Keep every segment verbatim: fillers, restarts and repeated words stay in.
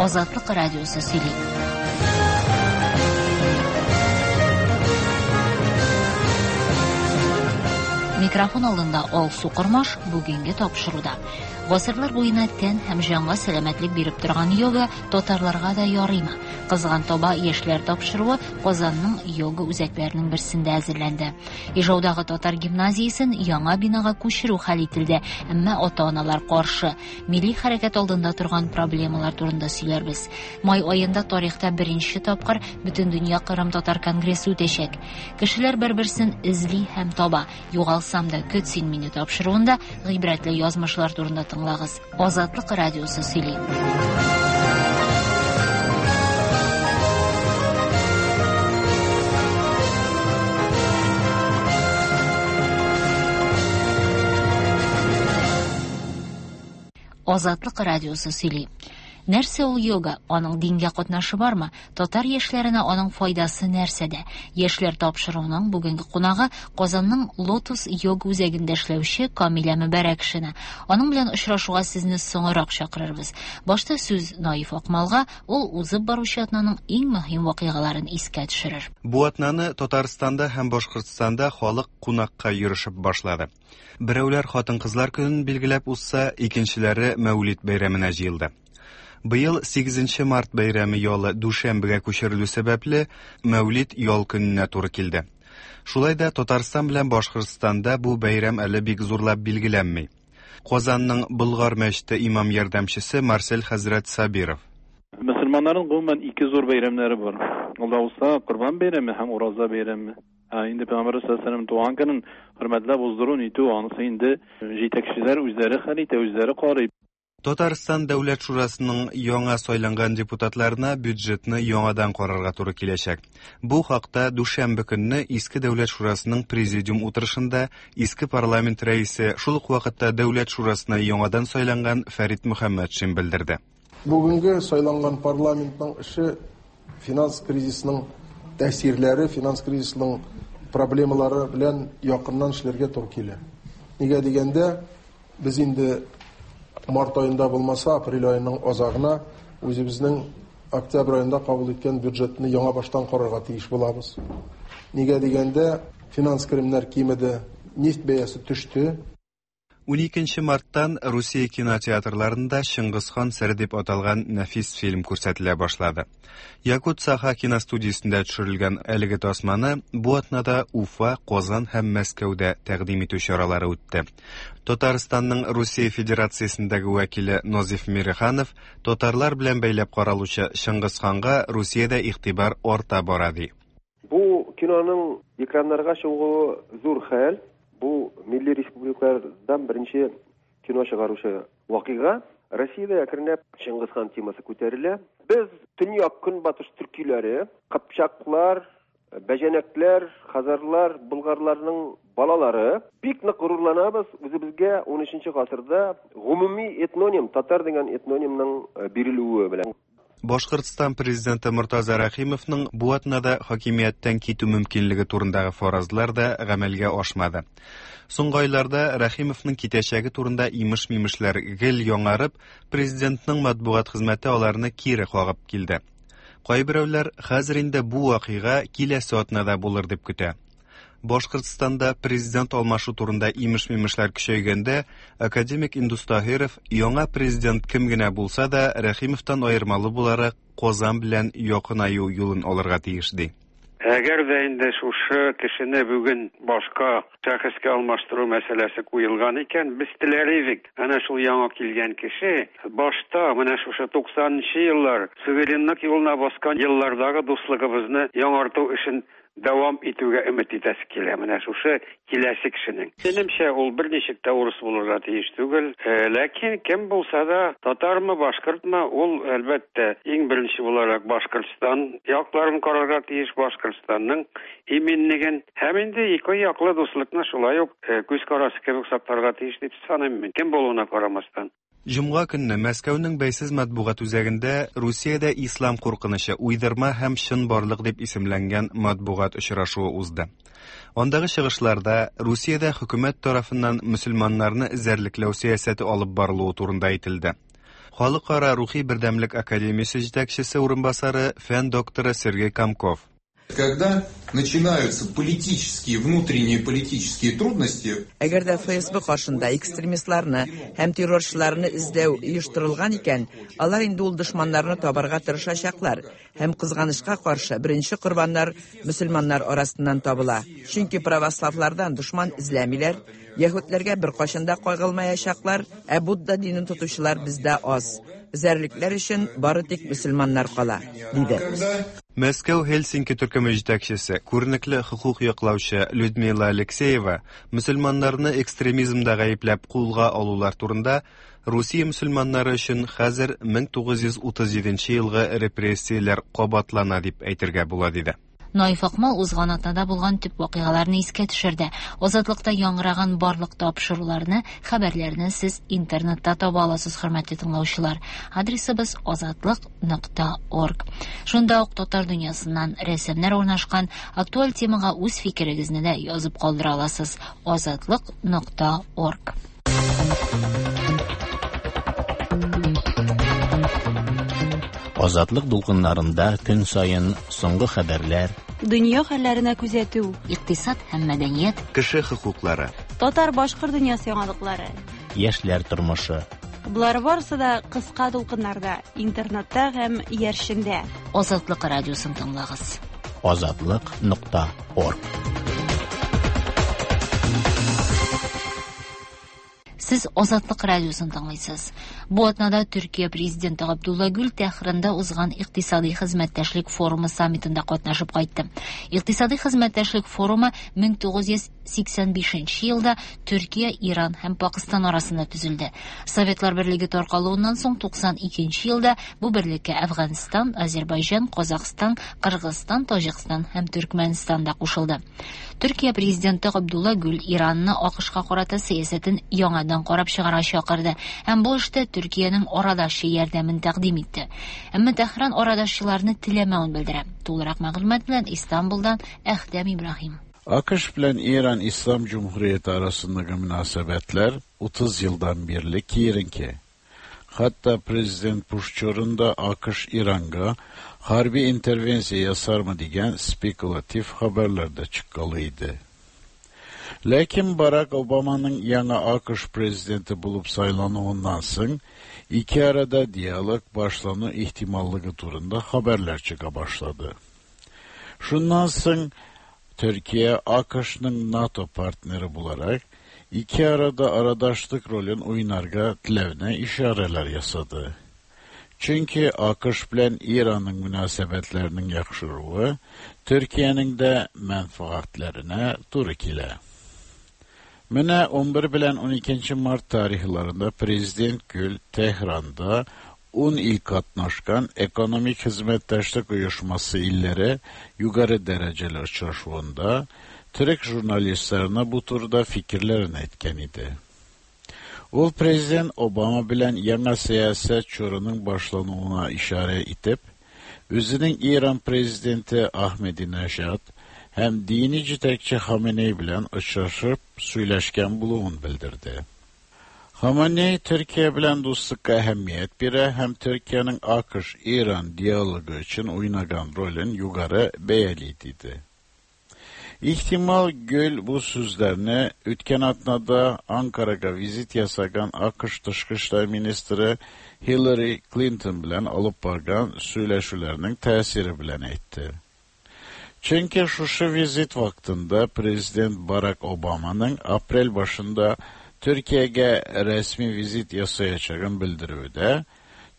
Азатлык радиосы сөйли. Микрофон алдында Алсу Кормаш бүгенге тапшыруда. Гасырлар буена тән һәм җанга сәламәтлек биреп торган йога татарларга да ярыймы? Кызган таба яшьләр тапшыруы Казанның йога үзәкләренең берсендә әзерләнде. Ижаудагы татар гимназиясен яңа бинага күчерү хәл ителде, әмма ата-аналар каршы. Милли хәрәкәт алдында торган проблемалар турында сөйләрбез. Май аенда тарихта беренче тапкыр Бөтендөнья Кырым татар конгрессы үтәчәк. Кешеләр бер-берсен эзли һәм таба. Югалсам да көт син мине тапшыруында гыйбрәтле язмышлар турында тыңлагыз. Азатлык радиосы сөйли. Азатлык радиосы сөйли. Нәрсә ул йога? Аның дингә катнашы бармы? Татар яшьләренә аның файдасы нәрсәдә? Яшьләр тапшыруының бүгенге кунагы Казанның Лотос йога үзәгендә эшләүче Камилә Мөбәрәкшина. Аның белән очрашуга сезне соңрак чакырырбыз. Башта сүз Наиф Акмалга, ул узып баручы атнаның иң мөһим вакыйгаларын искә төшерер. Бу атнаны Татарстанда һәм Башкортстанда халык кунакка йөришеп башлады. Берәүләр хатын-кызлар көнен билгеләп узса, икенчеләре Мәүлид бәйрәменә җыелды. Быел сигезенче март бәйрәме ялы дүшәмбегә күчерелү сәбәпле Мәүлид ял көненә туры килде. Шулай да Татарстан белән Башкортстанда бу бәйрәм әле бик зурлап билгеләнми. Казанның Болгар мәчете имам ярдәмчесе Марсель хәзрәт Сабиров. Мөселманнарның гомумән ике зур бәйрәмнәре бар. Ул да булса Корбан бәйрәме һәм Ураза бәйрәме. Ә инде Пәйгамбәр саллаллаһу алейһи ва сәлләм туган көнен хөрмәтләп уздыру нитү, анысы инде җитәкчеләр үзләре хәл итә, үзләре карый. Татарстан Дәүләт Шурасының яңа сайланган депутатларына бюджетны яңадан карарга туры киләчәк. Бу хакта дүшәмбе көнне Иске Дәүләт Шурасының президиум утырышында Иске парламент рәисе, шул ук вакытта Дәүләт Шурасына яңадан сайланган Фәрит Мөхәммәтшин белдерде. Бүгенге сайланган парламентның эше финанс кризисының тәэсирләре, финанс кризисының проблемалары белән якыннан эшләргә туры килә. Нигә дигәндә, без инде март айында булмаса, апрель айының азагына үзебезнең октябрь айында кабул иткән бюджетны яңа баштан карарга тиеш булабыз. Нигә дигәндә, финанс керемнәр кимеде, нефть бәясе төште. Уникенче марттан Русия кинотеатрларында Чыңгызхан сере дип аталган нәфис фильм күрсәтелә башлады. Якут Саха киностудиясендә төшерелгән әлеге тасманы бу атнада Уфа, Казан һәм Мәскәүдә тәкъдим итү чаралары үтте. Татарстанның Русия Федерациясендәге вәкиле Назиф Мириханов татарлар белән бәйләп каралучы Чыңгызханга Русиядә игътибар арта бара ди. Бу киноның экраннарга чыгуы зур хәл. Бу милли республикалардан беренче кино чыгаручы вакыйга. Россиядә әкренләп Чыңгызхан темасы күтәрелә. Без төньяк көнбатыш төркиләре, кыпчаклар, бәҗәнәкләр, хазарлар, болгарларның балалары бик нык горурланабыз. Үзебезгә унөченче гасырда гомуми этноним, татар дигән этнонимның бирелүе белән. Башкортстан президенты Мортаза Рәхимовның бу атнада хакимияттән китү мөмкинлеге турындагы фаразлар да гамәлгә ашмады. Соңгы айларда Рәхимовның китәчәге турында имеш-мимешләр гел яңарып, президентның матбугат хезмәте аларны кире кагып килде. Кайберәүләр хәзер инде бу вакыйга киләсе атнада булыр дип көтә. Башкортстанда президент алмашу турында имеш-мимешләр көчәйгәндә, академик Индус Таһиров яңа президент кем генә булса да Рәхимовтан аермалы буларак Казан белән якынаю юлын алырга тиеш ди. Әгәр дә инде шушы кешене бүген башка шәхескә алмаштыру мәсьәләсе куелган икән, без теләр идек. Әнә шул яңа килгән кеше башта менә шушы туксанынчы еллар суверенлык юлына баскан еллардагы дуслыгыбызны яңарту эшен дәвам итүгә өмет итәсе килә. Менә шушы киләсе кешенең. Минемчә, ул берничек тә урыс булырга тиеш түгел. Э, ләкин кем булса да, татармы, башкортмы, ул әлбәттә иң беренче буларак Башкортстан якларын карарга тиеш, Башкортстанның иминлеген һәм инде ике яклы дуслыкны шулай ук, э, күз карасы кебек сакларга тиеш дип саныйм мин, кем булуына карамастан. Җомга көнне Мәскәүнең бәйсез матбугат үзәгендә Русиядә ислам куркынычы, уйдырма һәм чынбарлык дип исемләнгән матбугат очрашуы узды. Андагы чыгышларда Русиядә хөкүмәт тарафыннан мөселманнарны эзәрлекләү сәясәте алып барылуы турында әйтелде. Халыкара рухи бердәмлек академиясе җитәкчесе урынбасары, фән докторы Сергей Комков. Когда начинаются политические, внутренние политические трудности. Әгәр дә Ф С Б каршында экстремистларны һәм террорчыларны эзләү оештырылган икән, алар инде ул дошманнарны табарга тырышачаклар һәм, кызганычка каршы, беренче корбаннар мөселманнар арасыннан табыла. Чөнки православлардан дошман эзләмиләр, яһүдләргә беркайчан да кагылмаячаклар, ә Будда динен тотучылар бездә аз. Эзәрлекләр өчен бары тик мөселманнар кала, диде. Мәскәү Хельсинки төркеме җитәкчесе, күренекле хокук яклаучы Людмила Алексеева мөселманнарны экстремизмда гаепләп кулга алулар турында Русия мөселманнары өчен хәзер мең тугыз йөз утыз җиденче елгы репрессияләр кабатлана дип әйтергә була, диде. Наиф Акмал узган атнада булган төп вакыйгаларны искә төшерде. Азатлыкта яңгыраган барлык тапшыруларны, хәбәрләрне сез интернетта таба аласыз, хөрмәтле тыңлаучылар. Адресыбыз азатлык нокта орг. Шунда ук татар дөньясыннан рәсемнәр урнашкан, актуаль темага үз фикерегезне дә язып калдыра аласыз. азатлык нокта орг. Азатлык дулкыннарында көн саен соңгы хәбәрләр, дөнья хәлләренә күзәтү, икътисад һәм мәдәният, кеше хокуклары, татар-башкорт дөньясы яңалыклары, яшьләр тормышы. Болар барысы да кыска дулкыннарда, интернетта һәм иярчендә. Азатлык радиосын тыңлагыз. Азатлык нокта орг. Сез Азатлык радиосын тыңлыйсыз. Бу атнада Төркия президенты Габдулла Гүл Тәһранда узган Икътисади хезмәттәшлек форумы саммитында катнашып кайтты. Икътисади хезмәттәшлек форумы мең тугыз йөз сиксән бишенче елда Төркия, Иран һәм Пакыстан арасында төзелде. Советлар Берлеге таркалуыннан соң туксан икенче елда бу берлеккә Әфганстан, Азербайҗан, Казахстан, Кыргызстан, Таҗикстан һәм Төркмәнстан да кушылды. Төркия президенты Габдулла Гүл Иранны А К Шка карата сәясәтен яңадан карап чыгарга чакырды һәм бу эштә Төркиянең арадашчы ярдәмен тәкъдим итте. Әмма Тәһран арадашчыларны теләмәвен белдерә. Тулырак мәгълүмат белән Истанбулдан Әхтәм Ибраһим. A K Ş bilen İran İslam Cumhuriyeti arasındaki münasebetler otuz yıldan beri kiyerinki. Hatta Prezident Bush da A K Ş İran'a harbi intervensiya yasar mı diyen spekülatif haberler de çıkkalıydı. Lakin Barack Obama'nın yeni A K Ş prezidenti bulup saylanуыннан soң iki arada diyalog başlanу ihtimallığı turunda haberler çıka başladı. Şundan soң Türkiye A K Ş'nın NATO partneri bularak iki arada aradaşlık rolün oynarga tilevine işareler yasadı. Çünkü A K Ş bilen İran'ın münasebetlerinin yakşıruğu Türkiye'nin de menfaatlerine turu kile. Mine on bir bilen on ikinci Mart tarihlerinde Prezident Gül Tehran'da on il katnaşkan Ekonomik Hizmetdaşlık Uyuşması illeri yukarı dereceli uçraşuvunda Türk jurnalistlerine bu turda fikirlerini etken idi. Ул Президент Обама bilen яңа сәясәт чорының башлануына işaret itip, үзенең İran президенти Ahmadinejad һәм дини җитәкче Хаменей белән очрашып сөйләшкән булуын белдерде. Хаменей Төркия белән дуслыкка әһәмият бирә һәм Төркиянең A K Ş-İran диалогы өчен уйнаган ролен югары бәяли, диде. İhtimal Gül bu sözlerini үткән атнада Ankara'ga vizit yasagan A K Ş Tышкы эшләр министры Hillary Clinton белән алып барган сөйләшүләрнең тәэсире белән әйтте. Çünkü шушы визит вакытында Президент Barack Obama'nın aprel başında Türkiye'ye resmi vizit yasayacağını bildirüvü de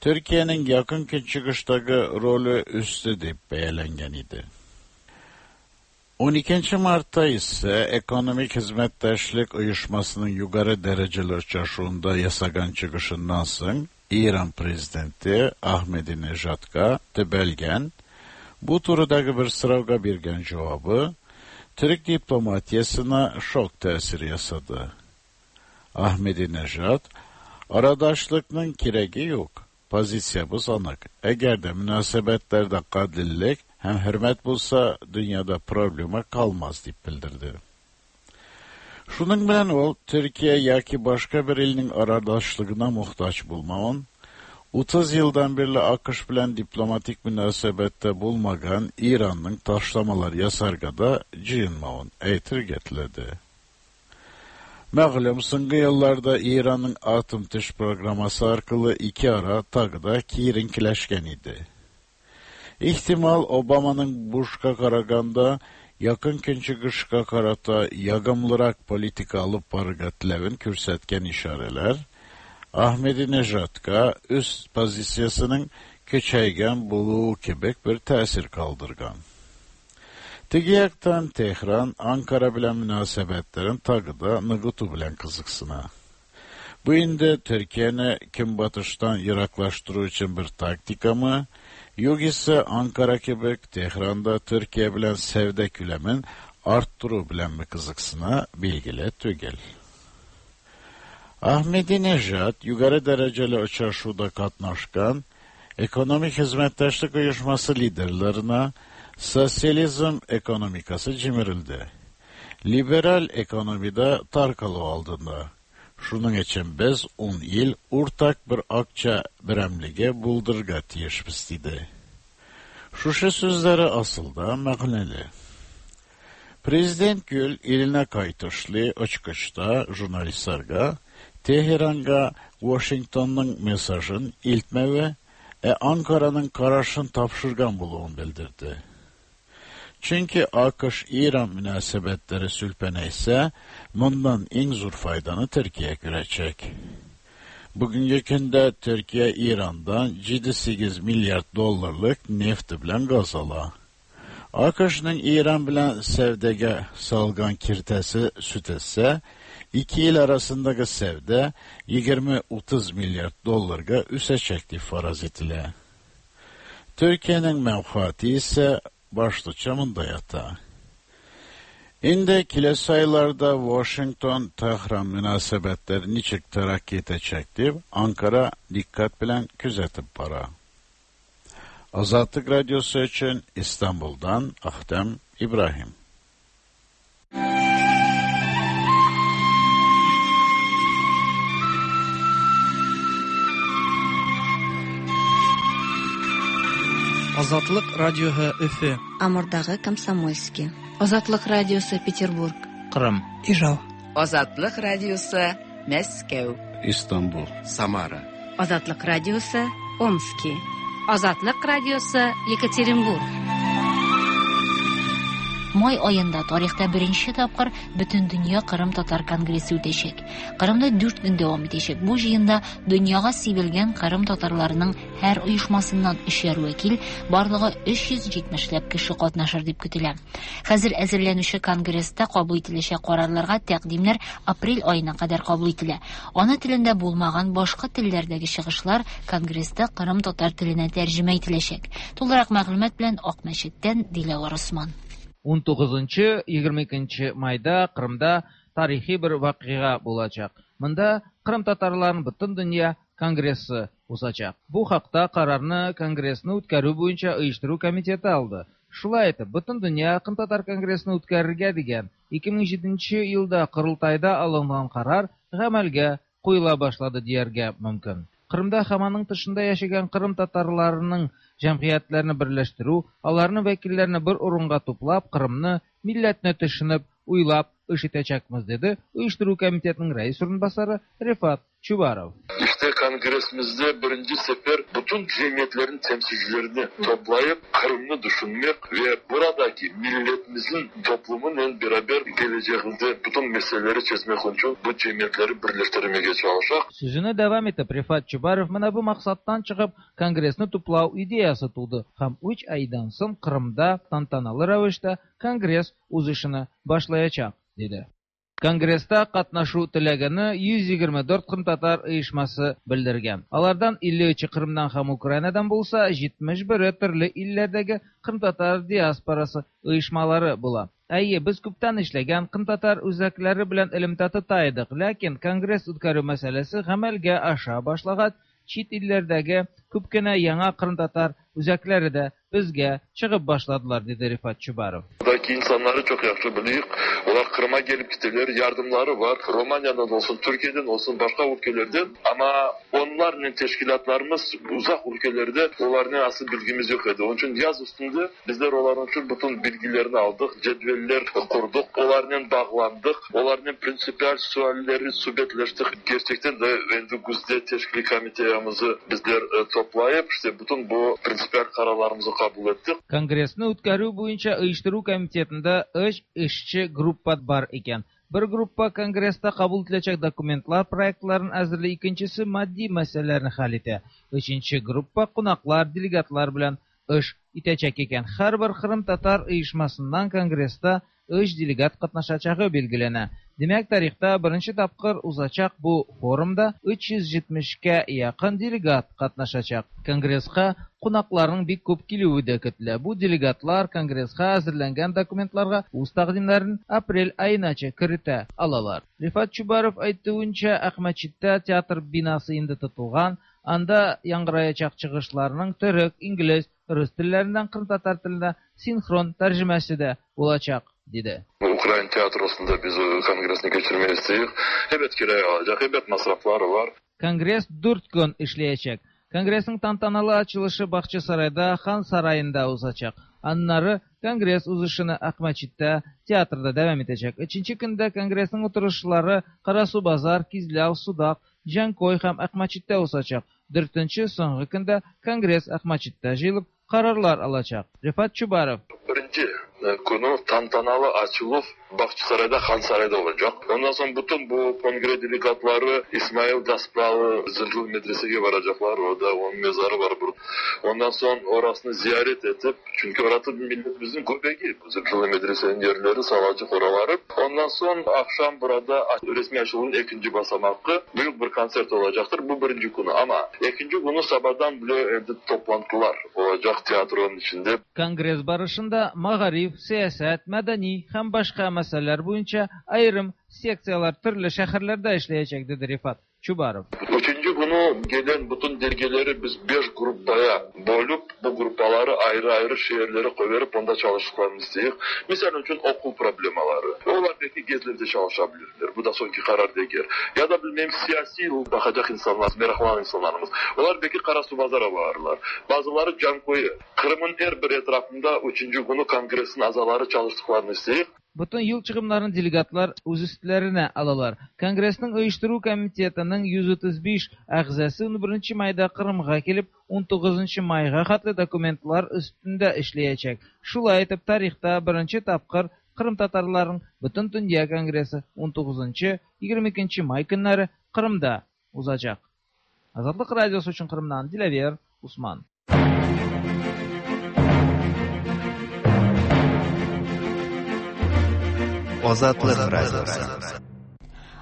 Türkiye'nin yakın Günçıgıştagı rolü üstü dip beyalengen idi. on ikinci Mart'ta ise Ekonomik Hizmetdaşlık Uyuşmasının yukarı dereceli uçraşuvunda yasagan çıkışından soң İran prezidenti Ahmadinejadga tebelgen bu turudagi bir so'rovga bergan javobi Türk diplomatiyasına şok tesiri yasadı. Ahmadinejad, "Aradaşlıkның keragi yo'q. Pozitsiyamiz aniq. Agarda munosabatlarda qadillik ham hurmat bo'lsa, dunyoda problema qolmas", deb bildirdi. Шуның белән ул Төркия яки башка бер илнең арадашчылыгына мохтаҗ булмавын, Otuz yıldan beri AQSh bilen diplomatik münasebette bulmagan İran'ın taşlamalar yasargada cıyınmağın eytir getledi. Məğlum, soñgı yıllarda İran'ın atom tış programması arkalı iki ara tagda kirinkileşken idi. İhtimal Obama'nın Bush'a qaraganda yakın künçügüşka karata yagımlırak politika alıp barıga tilevin kürsetken işareler, Ahmedinejadka üst pozitsiyasının küçeygen buluğu kebek bir tesir kaldırgan. Tigiyaktan Tehran, Ankara bilen münasebetlerin tagıda nıgıtu bilen kızıksına. Bu indi Türkiye'ni kim batıştan yıraklaştırı için bir taktika mı, yok ise Ankara kebek Tehran'da Türkiye bilen sevde külemin arttırı bilen mi kızıksına bilgile tügel. Ahmedinejad yukarı dereceli uçuşuda katnaşkan Ekonomik Hizmetdaşlık Uyuşması liderlerine sosyalizm ekonomikası cimirildi. Liberal ekonomide tarkalı aldığında. Şunun için biz on yıl ortak bir akça biremlige buldurga tiyişbiz dedi. Şuşa sözleri asılda məğneli. Prezident Gül eline kaytışlı açıkçta jurnalistlerge Teheran'a Washington'un mesajın iltme ve Ankara'nın kararışın tapşırgan buluğun bildirdi. Çünkü AQSh-İran münasebetleri sülpene ise bundan en zor faydanı Türkiye görecek. Bugünkü günde Türkiye İran'dan yedi sekiz milyar dolarlık neft bilen gaz ala. AQSh'ın İran bilen sevdege salgan kirtesi süt etse, iki yıl arasındaki sevde yigirmi otuz milyar dolarga üseçekti faraz etile. Türkiye'nin menfaati ise başlıca mında yata. Şimdi kilesi aylarda Washington-Tehran münasebetleri niçik terakki edecektir, Ankara dikkat bilen küzetip para. Azatlık Radyosu için İstanbul'dan Ahtem İbrahim. Азатлык радиоһы Өфө. Амурдагы Комсомольский. Азатлык радиосы Петербург. Кырым. Ижау. Азатлык радиосы Мәскәү. Истанбул. Самара. Азатлык радиосы Омский. Азатлык радиосы Екатеринбург. Май айында тарихта беренче тапкыр Бөтендөнья Кырым татар конгрессы үтәчәк. Кырымда дүрт көн дәвам итәчәк. Бу җыенда дөньяга сибелгән Кырым татарларының һәр оешмасыннан өчәр вәкил, барлыгы өч йөз җитмешләп кеше катнашыр дип көтелә. Хәзер әзерләнүче конгресста кабул ителәчәк карарларга тәкъдимнәр апрель аена кадәр кабул ителә. Ана телендә булмаган башка телләрдәге чыгышлар конгресста Кырым татар теленә тәрҗемә ителәчәк. Тулырак мәгълүмат белән Акмәчеттән Диләвар Усман. он тугызынчы егерме икенче майда Кырымда тарихи бер вакыйга булачак. Монда Кырым татарларының бөтен дөнья конгрессы узачак. Бу хакта карарны конгрессны үткәрү буенча оештыру комитеты алды. Шулай итеп, бөтен дөнья Кырым татар конгрессын үткәрергә дигән ике мең җиденче елда Корылтайда алынган карар гамәлгә куела башлады дияргә мөмкин. Кырымда һәм аның тышында яшәгән Кырым татарларының җәмгыятьләрен берләштерү, аларның вәкилләрен бер урынга туплап, Кырымны, милләтне төшенеп, уйлап эш итәчәкбез, диде оештыру комитетының рәис урынбасары Рифат Чубаров. İşte kongresimizde birinci sefer bütün cemiyetlerin temsilcilerini toplayıp Kırım'ı düşünmek ve buradaki milletimizin toplumunun beraber geleceğinde bütün meseleleri çözmek için bu cemiyetleri birleştirmeye çalışacak. Sözünü devam etip Rifat Чубаров mına bu maksattan çıkıp kongresini toplav ideyası tuğdu. Hem üç aydan soň Kırım'da tantanalı ravişte kongres uzışını başlayacak, dedi. Конгресста катнашу теләгәне йөз егерме дүрт кырым татар оешмасы белдергән. Алардан илле өче Кырымнан һәм Украинадан булса, җитмеш бере төрле илләрдәге кырым татар диаспорасы оешмалары була. Әйе, без күптән эшләгән кырым татар үзәкләре белән элемтә тота идек, ләкин конгресс үткәрү мәсьәләсе гамәлгә аша башлагач, чит илләрдәге күп кенә яңа кырым татар үзәкләре дә безгә чыгып башладылар, диде Рифат Чубаров. Buradaki insanları çok yaxşı bilirik. Onlar Kırım'a gelip gittiler, yardımları var. Romanya'dan olsun, Türkiye'den olsun, başka ülkelerden. Ama onlarla teşkilatlarımız uzak ülkelerde onların asıl bilgimiz yok idi. Onun için yaz üstünde bizler onların için bütün bilgilerini aldık, cedveller kurduk, onlarla bağlandık, onlarla prinsipal sualleri sohbetleştik. Gerçekten de endi güzde teşkil komiteyamizi bizler toplayıp işte bütün bu prinsipal kararlarımızı kabul ettik. Конгрессны үткәрү буенча оештыру комитетында өч эшче группа бар икән. Бер группа конгресста кабул ителәчәк документлар проектларын әзерли, икенчесе матди мәсьәләләрне хәл итә. Өченче группа кунаклар, делегатлар белән эш итәчәк икән. Һәрбер Кырым татар оешмасыннан конгресста өч делегат катнашачагы билгеләнә. Димәк, тарихта беренче тапкыр узачак бу форумда өч йөз җитмешкә якын делегат катнашачак. Конгресска кунакларның бик күп килүе дә көтелә. Бу делегатлар конгресска әзерләнгән документларга үз тәкъдимнәрен апрель аенача кертә алалар. Рифат Чубаров әйтүенчә, Әхмәтчиттә театр бинасы инде тотылган, анда яңгыраячак чыгышларның төрек, инглиз, рус телләреннән кырым татар теленә синхрон тәрҗемәсе дә булачак, диде. Ukrayna tiyatrosunda biz kongresini geçirmeyi istiyoruz. Evet kiraya alacak, evet masrafları var. Конгресс дүрт көн эшләячәк. Конгрессның тантаналы ачылышы Бахчасарайда, Хан сараенда узачак. Аннары конгресс узышыны Әхмәтчиттә театрда дәвам итәчәк. Өченче көндә конгрессның утырышлары Карасу-Базар, Кизляу, Судак, Җанкой һәм Әхмәтчиттә узачак. Дүртенче соңгы көндә конгресс Әхмәтчиттә җыелып карарлар алачак. Рифат Чубаров. Беренче konu tantanalı açılıp Bahçesaray'da, Han Saray'da olacak. Ondan sonra bütün bu kongre delegatları İsmail Gaspralı Zırhlı Medrese'ye varacaklar. Orada onun mezarı var burada. Ondan sonra orasını ziyaret edip, çünkü orası milletimizin göbeği. Zırhlı Medrese'nin yerleri, Salacık oraları. Ondan sonra akşam burada resmi açılımın ikinci basamağı büyük bir konsert olacaktır. Bu birinci konu ama ikinci konu sabahdan bile toplantılar olacak tiyatronun içinde. Конгресс барышында мәгариф, сәясәт, мәдәни һәм башка мәсьәләләр буенча аерым секциялар төрле шәһәрләрдә эшләячәк, диде Рифат Чубаров. Üçüncü günü gelen bütün delegeleri biz beş grupaya bölüp bu grupları ayrı ayrı şehirlere koyup onda çalıştıklarını istiyoruz. Misal için okul problemaları. Onlar belki gezlerde çalışabilirler. Bu da sonki karar değil. Ya da bilmem siyasi bakacak insanlar, meraklanan insanlarımız. Onlar belki Karasubazar'a varırlar. Bazıları Cankoy'u. Kırım'ın her bir etrafında üçüncü günü kongresin azaları çalıştıklarını istiyoruz. Бүтән юл чыгымнарын делегатлар үз өстләренә алалар. Конгрессның оештыру комитетының йөз утыз биш әгъзасы унберенче майда Кырымга килеп, унтугызынчы майга хәтле документлар өстендә эшләячәк. Шулай итеп, тарихта беренче тапкыр Кырым татарларының Бүтән дөнья конгрессы унтугызынчы егерме икенче май көннәре Кырымда узачак. Азатлык радиосы өчен Кырымнан Диләвер Усман. Азатлык радиосы.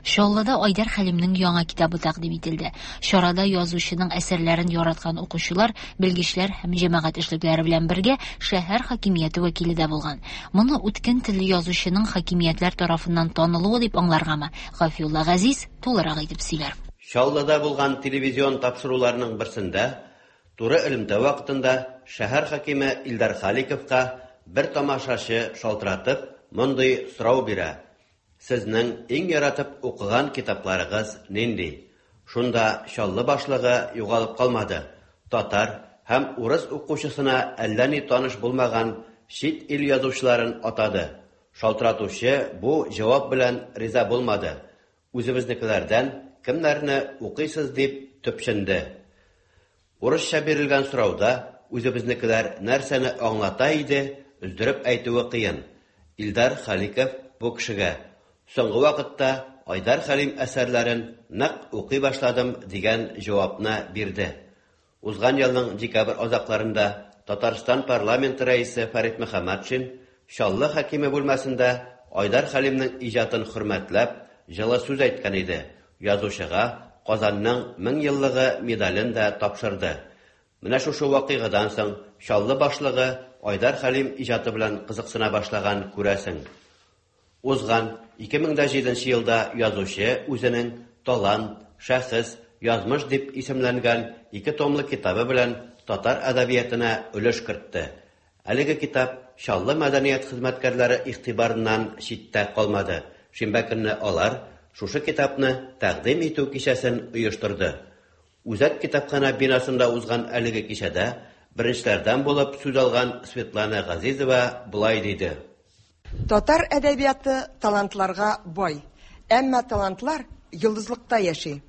Чаллыда Айдар Хәлимнең яңа китабы тәкъдим ителде. Чарада язучының әсәрләрен яраткан укучылар, белгечләр һәм җәмәгать эшлекләре белән бергә шәһәр хакимияте вәкиле дә булган. Моны үткен телле язучының хакимиятләр тарафыннан танылуы дип аңларгамы? Гафиулла Газиз тулырак итеп сөйләр. Чаллыда булган телевизион тапшыруларның берсендә туры элемтә вакытында шәһәр хакиме Илдар Халиковка бер тамашачы шалтыратып мондый сорау бирә. Сезнең иң яратып укыган китапларыгыз нинди? Шунда Чаллы башлыгы югалып калмады. Татар һәм урыс укучысына әллә ни таныш булмаган чит ил язучыларын атады. Шалтыратучы бу җавап белән риза булмады. Үзебезнекеләрдән кемнәрне укыйсыз дип төпченде. Урысча бирелгән сорауда үзебезнекеләр нәрсәне аңлата иде, өздереп әйтүе кыен. Илдар Халиков бу кешегә соңгы вакытта Айдар Хәлим әсәрләрен нык укый башладым дигән җавапны бирде. Узган елның декабрь азакларында Татарстан парламенты рәисе Фәрит Мөхәммәтшин Чаллы хакиме бүлмәсендә Айдар Хәлимнең иҗатын хөрмәтләп җылы сүз әйткән иде. Язучыга Казанның мең еллыгы медален дә тапшырды. Менә шушы вакыйгадан соң Чаллы башлыгы Айдар Хәлим иҗаты белән кызыксына башлаган күрәсең. Узган ике мең дә җиденче елда язучы үзенең Талант, шәхес, язмыш дип исемләнгән ике томлы китабы белән татар әдәбиятына өлеш кертте. Әлеге китап Чаллы мәдәният хезмәткәрләре игътибарыннан читтә калмады. Шимбә көнне алар шушы китапны тәкъдим итү кичәсен оештырды. Үзәк китапхана бинасында узган әлеге кичәдә беренчеләрдән булып сүз алган Светлана Газизова болай диде. Татар әдәбияты талантларга бай. Әмма талантлар йолдызлыкта яши.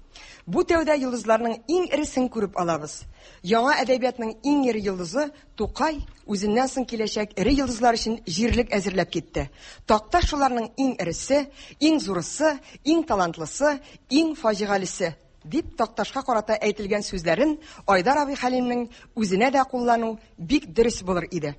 Бу тәүдә йолдызларның иң эресен күреп алабыз. Яңа әдәбиятның иң эре йолдызы Тукай үзеннән соң киләчәк эре йолдызлар өчен җирлек әзерләп китте. Такташ шуларның иң эресе, иң зурысы, иң талантлысы, иң фаҗигалесе дип Такташка карата әйтелгән сүзләрен Айдар абый Хәлимнең үзенә дә куллану бик дөрес булыр иде.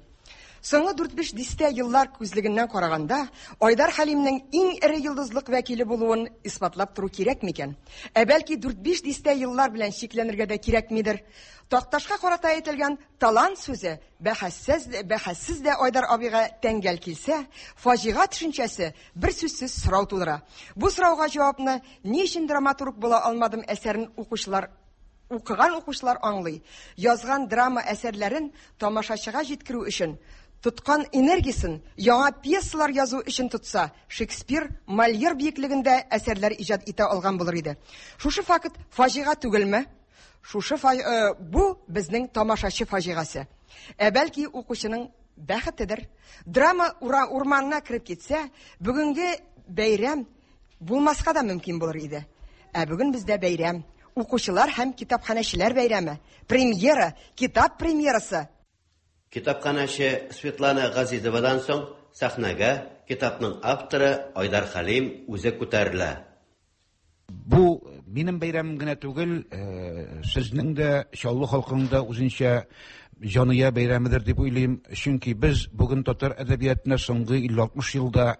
Соңгы дүрт-биш дистә еллар күзлегеннән караганда, Айдар Хәлимнең иң эре йолдызлык вәкиле булуын исбатлап тору кирәк микән? Ә бәлки дүрт-биш дистә еллар белән чикләнергә дә кирәкмидер? Такташка карата әйтелгән талант сүзе бәхәссез, бәхәссез дә Айдар абыйга тәңгәл килсә, фаҗига төшенчәсе бер сүзсез сорау тудыра. Бу сорауга җавапны ни өчен драматург була алмадым әсәрен укучылар укыган укучылар аңлый. Язган драма әсәрләрен тамашачыга җиткерү өчен тоткан энергиясен яңа пьесалар язу өчен тотса, Шекспир, Мольер биеклегендә әсәрләр иҗат итә алган булыр иде. Шушы факт фаҗига түгелме? Шушы фа... э, бу безнең тамашачы фаҗигасе. Ә бәлки укучының бәхетедер. Драма ура, урманына кереп китсә, бүгенге бәйрәм булмаска да мөмкин булыр иде. Ә бүген бездә бәйрәм. Укучылар һәм китапханәчеләр бәйрәме. Премьера, китап премьерасы. Китапханәче Светлана Газизовадан соң сәхнәгә китапның авторы Айдар Хәлим үзе күтәрелә. Бу минем бәйрәмем генә түгел, сезнең дә, Чаллы халкының да үзенчә җаная бәйрәмедер дип уйлыйм. Чөнки без бүген татар әдәбиятына соңгы илле-алтмыш елда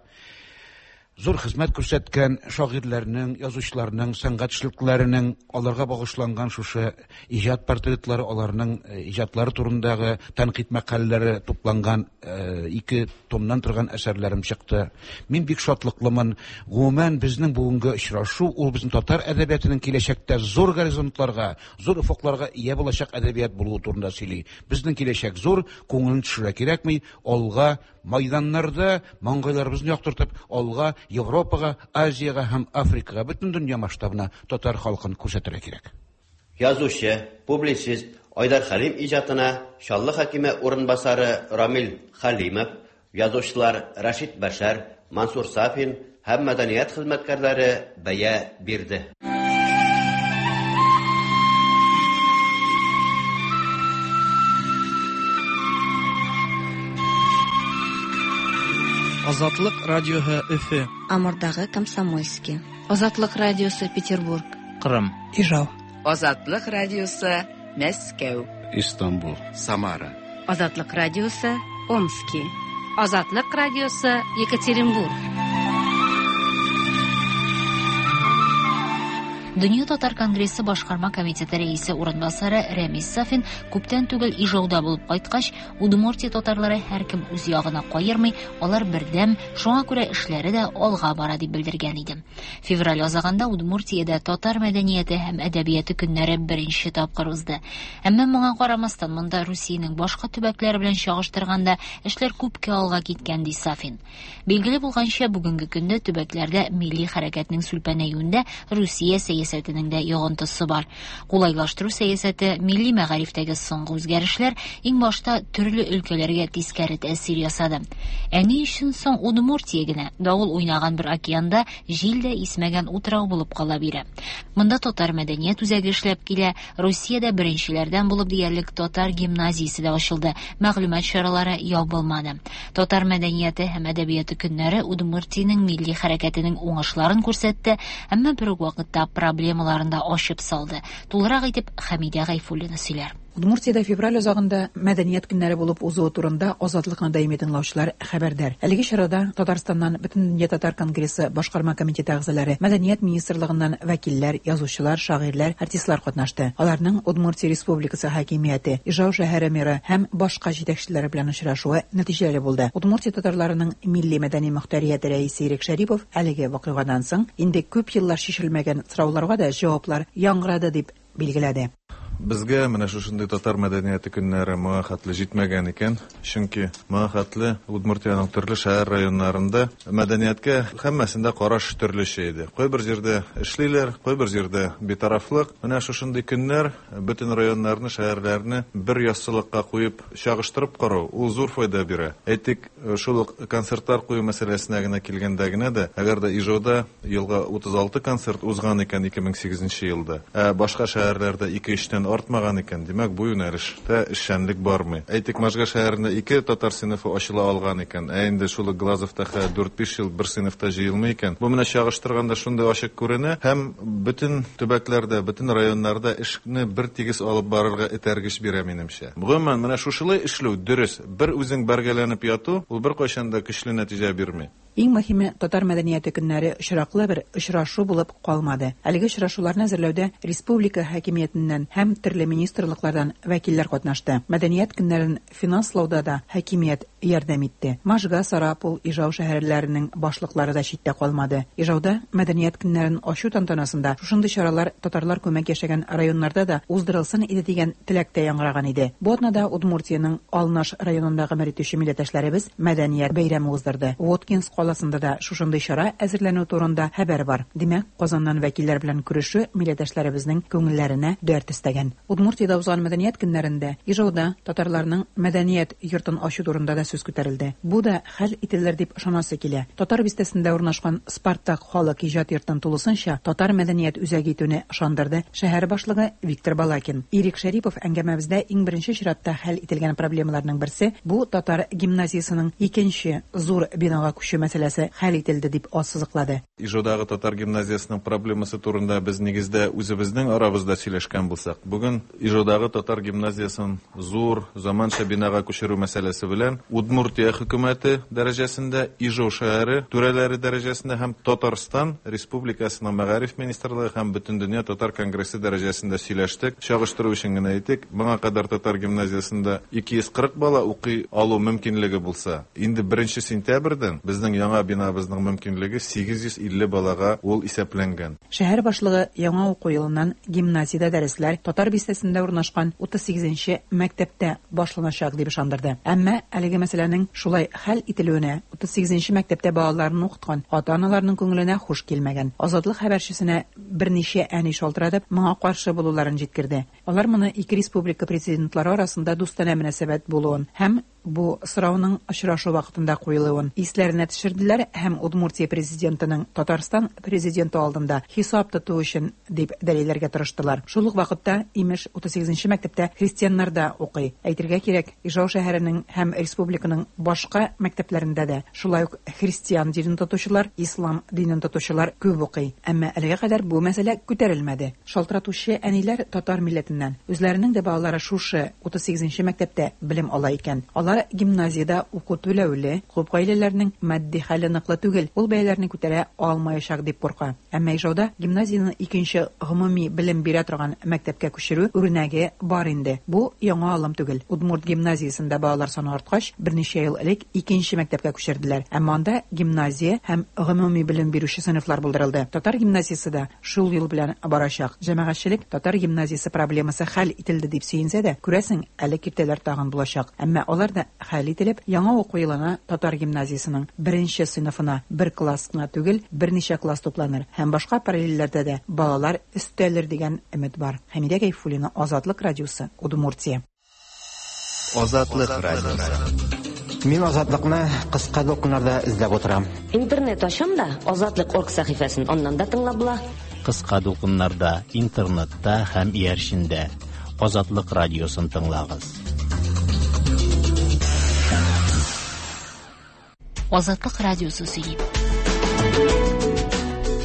зур хезмәт күрсәткән шагыйрьләрнең, язучыларның, сәнгать эшлекләренең аларга багышланган шушы иҗат портретлары, аларның иҗатлары турындагы тәнкыйть мәкаләләре тупланган ике томнан торган әсәрләрем чыкты. Мин бик шатлыклымын. Гомумән, безнең бүгенге очрашу ул безнең татар әдәбиятының киләчәктә зур горизонтларга, зур офыкларга ия булачак әдәбият булуы турында сөйли. Безнең киләчәк зур, күңелен төшерә кирәкми, алга майданнарда маңгайларыбызны яктыртып, алга Европага, Азиягә һәм Африкага, бөтен дөнья масштабына татар халкын күрсәтергә кирәк. Язучы, публицист Айдар Хәлим иҗатына Чаллы хакиме урынбасары Рамил Хәлимов, язучылар Рәшит Бәшәр, Мансур Сафин һәм мәдәният хезмәткәрләре бәя бирде. Азатлык радиоһы Өфө. Амурдагы Комсомольский. Азатлык радиосы Петербург. Кырым. Ижау. Азатлык радиосы Мәскәү. Истанбул. Самара. Азатлык радиосы Омски. Азатлык радиосы Екатеринбург. Дөнья татар конгрессы башкарма комитеты рәисе урынбасары Рәмис Сафин күптән түгел Ижауда булып кайткач, Удмуртия татарлары һәркем үз ягына каермый, алар бердәм, шуңа күрә эшләре дә алга бара дип белдергән иде. Февраль азагында Удмуртиядә татар мәдәнияте һәм әдәбияты көннәре беренче тапкыр узды. Әмма моңа карамастан монда Русиянең башка төбәкләре белән чагыштырганда эшләр күпкә алга киткән, ди Сафин. Билгеле булганча, бүгенге көндә төбәкләрдә милли хәрәкәтнең сүлпәнәюендә Русия сәясәтенең дә йогынтысы бар. Кулайлаштыру сәясәте, милли мәгарифтәге соңгы үзгәрешләр иң башта төрле өлкәләргә тискәре тәэсир ясады. Ә ни өчен соң Удмуртия генә давыл уйнаган бер океанда җил дә исмәгән утрау булып кала бирә? Монда татар мәдәният үзәге эшләп килә, Русиядә беренчеләрдән булып диярлек татар гимназиясе дә ачылды, мәгълүмат чаралары ябылмады. Татар мәдәнияте һәм әдәбияты көннәре Удмуртиянең милли хәрәкәтенең уңышларын күрсәтте, әмма бер үк вакытта проблемаларын да ачып салды. Тулырак итеп Хәмидә Гайфуллина сөйләр. Удмуртиядә февраль азагында мәдәният көннәре булып узуы турында Азатлыкны даими тыңлаучылар хәбәрдар. Әлеге чарада Татарстаннан Бөтендөнья татар конгрессы башкарма комитеты әгъзалары, мәдәният министрлыгыннан вәкилләр, язучылар, шагыйрьләр, артистлар катнашты. Аларның Удмуртия Республикасы хакимияте, Ижау шәһәре мэры һәм башка җитәкчеләре белән очрашуы нәтиҗәле булды. Удмуртия татарларының милли мәдәни мөхтәрияте рәисе Ирек Шәрипов әлеге вакыйгадан соң инде күп еллар чишелмәгән сорауларга да җаваплар яңгырады дип билгеләде. Безгә менә шушындый татар мәдәнияте көннәре моңа хәтле җитмәгән икән. Чөнки моңа хәтле Удмуртиянең төрле шәһәр районнарында мәдәнияткә һәммәсендә караш төрлечә иде. Кайбер җирдә эшлиләр, кайбер җирдә битарафлык. Менә шушындый көннәр бөтен районнарны, шәһәрләрне бер яссылыкка куеп чагыштырып карау ул зур файда бирә. Әйтик, шул ук концертлар кую мәсьәләсенә генә килгәндә генә дә, әгәр дә Ижауда елга утыз алты концерт узган икән ике мең сигезенче елда, ә башка шәһәрләрдә ике-өчтән артмаган икән, димәк, бу юнәлештә эшчәнлек бармый. Әйтик, Можга шәһәрендә ике татар сыйныфы ачыла алган икән, ә инде шул ук Глазовта дүрт-биш ел бер сыйныфта җыелмый икән. Бу менә чагыштырганда шундый ачык күренә һәм бөтен төбәкләрдә, бөтен районнарда эшне бер тигез алып барырга этәргеч бирә минемчә. Гомумән, менә шушылай эшләү дөрес. Бер үзең бәргәләнеп яту, ул беркайчан да көчле нәтиҗә бирми. Иң мөһиме, татар мәдәнияте көннәре очраклы бер очрашу булып калмады. Әлеге очрашуларны әзерләүдә республика хакимиятеннән һәм төрле министрлыклардан вәкилләр катнашты. Мәдәният көннәрен финанслауда да хакимият ярдәм итте. Можга, Сарапул, Ижау шәһәрләренең башлыклары да читтә калмады. Ижауда мәдәният көннәрен ачу тантанасында шушындый чаралар татарлар күмәк яшәгән районнарда да уздырылсын иде дигән теләк тә яңгыраган иде. Бу атнада Удмуртиянең Алнаш районында гомер итүче милләттәшләребез мәдәният бәйрәме уздырды. Воткинск каласында да шушындый чара әзерләнү турында хәбәр бар. Димәк, Казаннан вәкилләр белән күрешү милләттәшләребезнең күңелләренә дәрт өстәгән. Удмуртиядә узган мәдәният көннәрендә Ижауда татарларның мәдәният йортын ачу турында да сүз күтәрелде. Бу да хәл ителер дип ышанасы килә. Татар бистәсендә урнашкан Спартак халык иҗат йортын тулысынча татар мәдәният үзәге итүне ышандырды шәһәр башлыгы Виктор Балакин. Ирек Шәрипов әңгәмәбездә иң беренче чиратта хәл ителгән проблемаларның берсе бу татар гимназиясының икенче зур бинага күчү мәсьәләсе хәл ителде дип ассызыклады. Ижаудагы татар гимназиясының проблемасы турында без нигездә үзебезнең арабызда сөйләшкән булсак, бүген Ижаудагы татар гимназиясын зур заманча бинага күчерү мәсьәләсе белән Удмуртия хөкүмәте дәрәҗәсендә, Ижау шәһәре түрәләре дәрәҗәсендә һәм Татарстан Республикасының мәгариф министрлыгы һәм Бөтендөнья татар конгрессы дәрәҗәсендә сөйләштек. Чагыштыру өчен генә әйтик, моңа кадәр татар гимназиясендә ике йөз кырык бала укый алу мөмкинлеге булса, инде беренче сентябрьдән безнең яңа бинабызның мөмкинлеге сигез йөз илле балага ул исәпләнгән. Шәһәр башлыгы яңа уку елыннан гимназиядә дәресләр татар бистәсендә урнашкан утыз сигезенче мәктәптә башланачак дип ышандырды. Әмма әлеге мәсьәләнең шулай хәл ителүенә утыз сигезенче мәктәптә балаларын укыткан ата-аналарның күңеленә хуш килмәгән. Азатлык хәбәрчесенә берничә әни шалтыратып, моңа каршы булуларын җиткерде. Алар моны ике республика президентлары арасында дустанә мөнәсәбәт булуын һәм бу сорауның очрашу вакытында куелуын исләренә төшерделәр һәм Удмуртия президентының Татарстан президенты алдында хисап тоту өчен дип дәлилләргә тырыштылар. Шул ук вакытта имеш утыз сигезенче мәктәптә христианнар да укый. Әйтергә кирәк, Ижау шәһәренең һәм республиканың башка мәктәпләрендә дә шулай ук христиан динен тотучылар, ислам динен тотучылар күп укый. Әмма әлегә кадәр бу мәсьәлә күтәрелмәде. Шалтыратучы әниләр татар милләтеннән. Үзләренең дә балалары шушы утыз сигезенче мәктәптә белем ала икән. Алар гимназиядә уку түләүле, күп гаиләләрнең матди хәле ныклы түгел, ул бәяләрне күтәрә алмаячак дип курка. Әмма Ижауда гимназияне икенче гомуми белем бирә торган мәктәпкә күчерү үрнәге бар инде. Бу яңа алым түгел. Удмурт гимназиясендә балалар саны арткач, берничә ел элек икенче мәктәпкә күчерделәр. Әмма анда гимназия һәм гомуми белем бирүче сыйныфлар булдырылды. Татар гимназиясе дә шул юл белән барачак. Җәмәгатьчелек татар гимназиясе проблемасы хәл ителде дип сөенсә дә, күрәсең, әле киртәләр тагын булачак. Әмма алар да хәл ителеп, яңа уку елына татар гимназиясының беренче сыйныфына бер класс кына түгел, берничә класс тупланыр һәм башка параллельләрдә дә балалар өстәлер дигән өмет бар. Хәмидә Гайфуллина, Азатлык радиосы, Удмуртия. Азатлык радиосы. Мин Азатлыкны кыска дулкыннарда эзләп утырам. Интернет ачам да, Азатлык орг сәхифәсен аннан да тыңлап була. Кыска дулкыннарда, интернетта һәм иярчендә Азатлык радиосын тыңлагыз. Азатлык радиосы сөйли.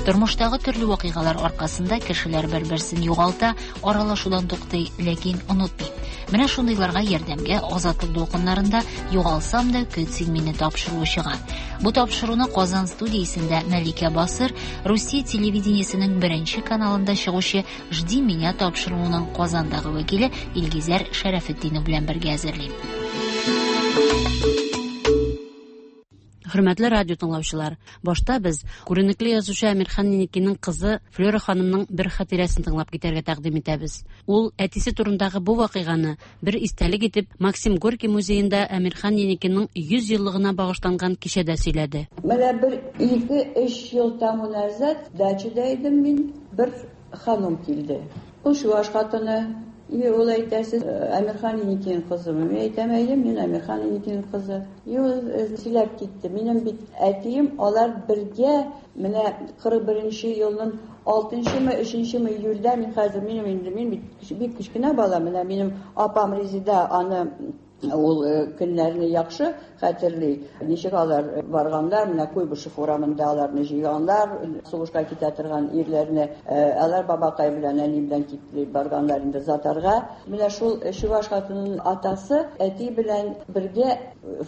Тормыштагы төрле вакыйгалар аркасында кешеләр бер-берсен югалта, аралашудан туктый, ләкин онытмый. Менә шундыйларга ярдәмгә Азатлык дулкыннарында «Югалсам да көт син мине» тапшыруы чыга. Бу тапшыруны Казан студиясендә Мәликә Басыр, Русия телевидениесенең беренче каналында чыгучы «Жди меня» тапшыруының Казандагы вәкиле Илгизәр Шәрәфетдинов белән бергә әзерли. Хөрмәтле радио тыңлаучылар, башта без күренекле язучы Әмирхан Еникинең кызы Флера ханымның бер хатирәсен тыңлап китәргә тәкъдим итәбез. Ул әтисе турындагы бу вакыйганы бер истәлек итеп Максим Горький музеенда Әмирхан Еникинең йөз еллыгына багышланган кичәдә сөйләде. Менә бер ике-өч ел тому назад дачада идем мин, бер ханым килде. Ул чуваш хатыны. И ул әйтә, сез Әмирхан Еникин кызымы? Мин әйтәм, әйе, мин Әмирхан Еникин кызы. И ул сөйләп китте. Минем бит әтием, алар бергә менә кырык беренче елның алтынчымы, өченчеме июльдә, мин хәзер минем инде мин бит бик кечкенә бала, менә минем апам Резида аны ул көннәрне яхшы хәтерли. Ничек алар барганнар, менә Куйбышев урамында аларны җыйганнар, сугышка китә торган ирләрне, алар бабакай белән, әни белән китеп барганнар инде Затарга. Менә шул чуваш хатынының атасы әти белән бергә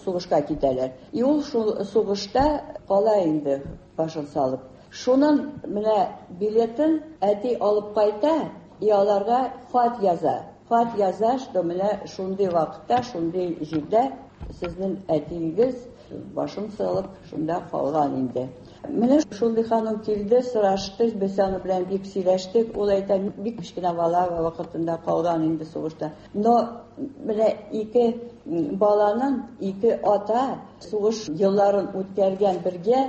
сугышка китәләр. И ул шул сугышта кала инде башын салып. Шунын менә билетын әти алып кайта, и аларга хат яза. Хат яза, что менә шундый вакытта, шундый җирдә сезнең әтиегез башын салып шунда калган инде. Менә шундый ханым килде, сорашты, без аны белән бик сөйләштек. Ул әйтә, бик кечкенә бала вакытында калган инде сугышта. Но менә ике баланың, ике ата сугыш елларын үткәргән бергә,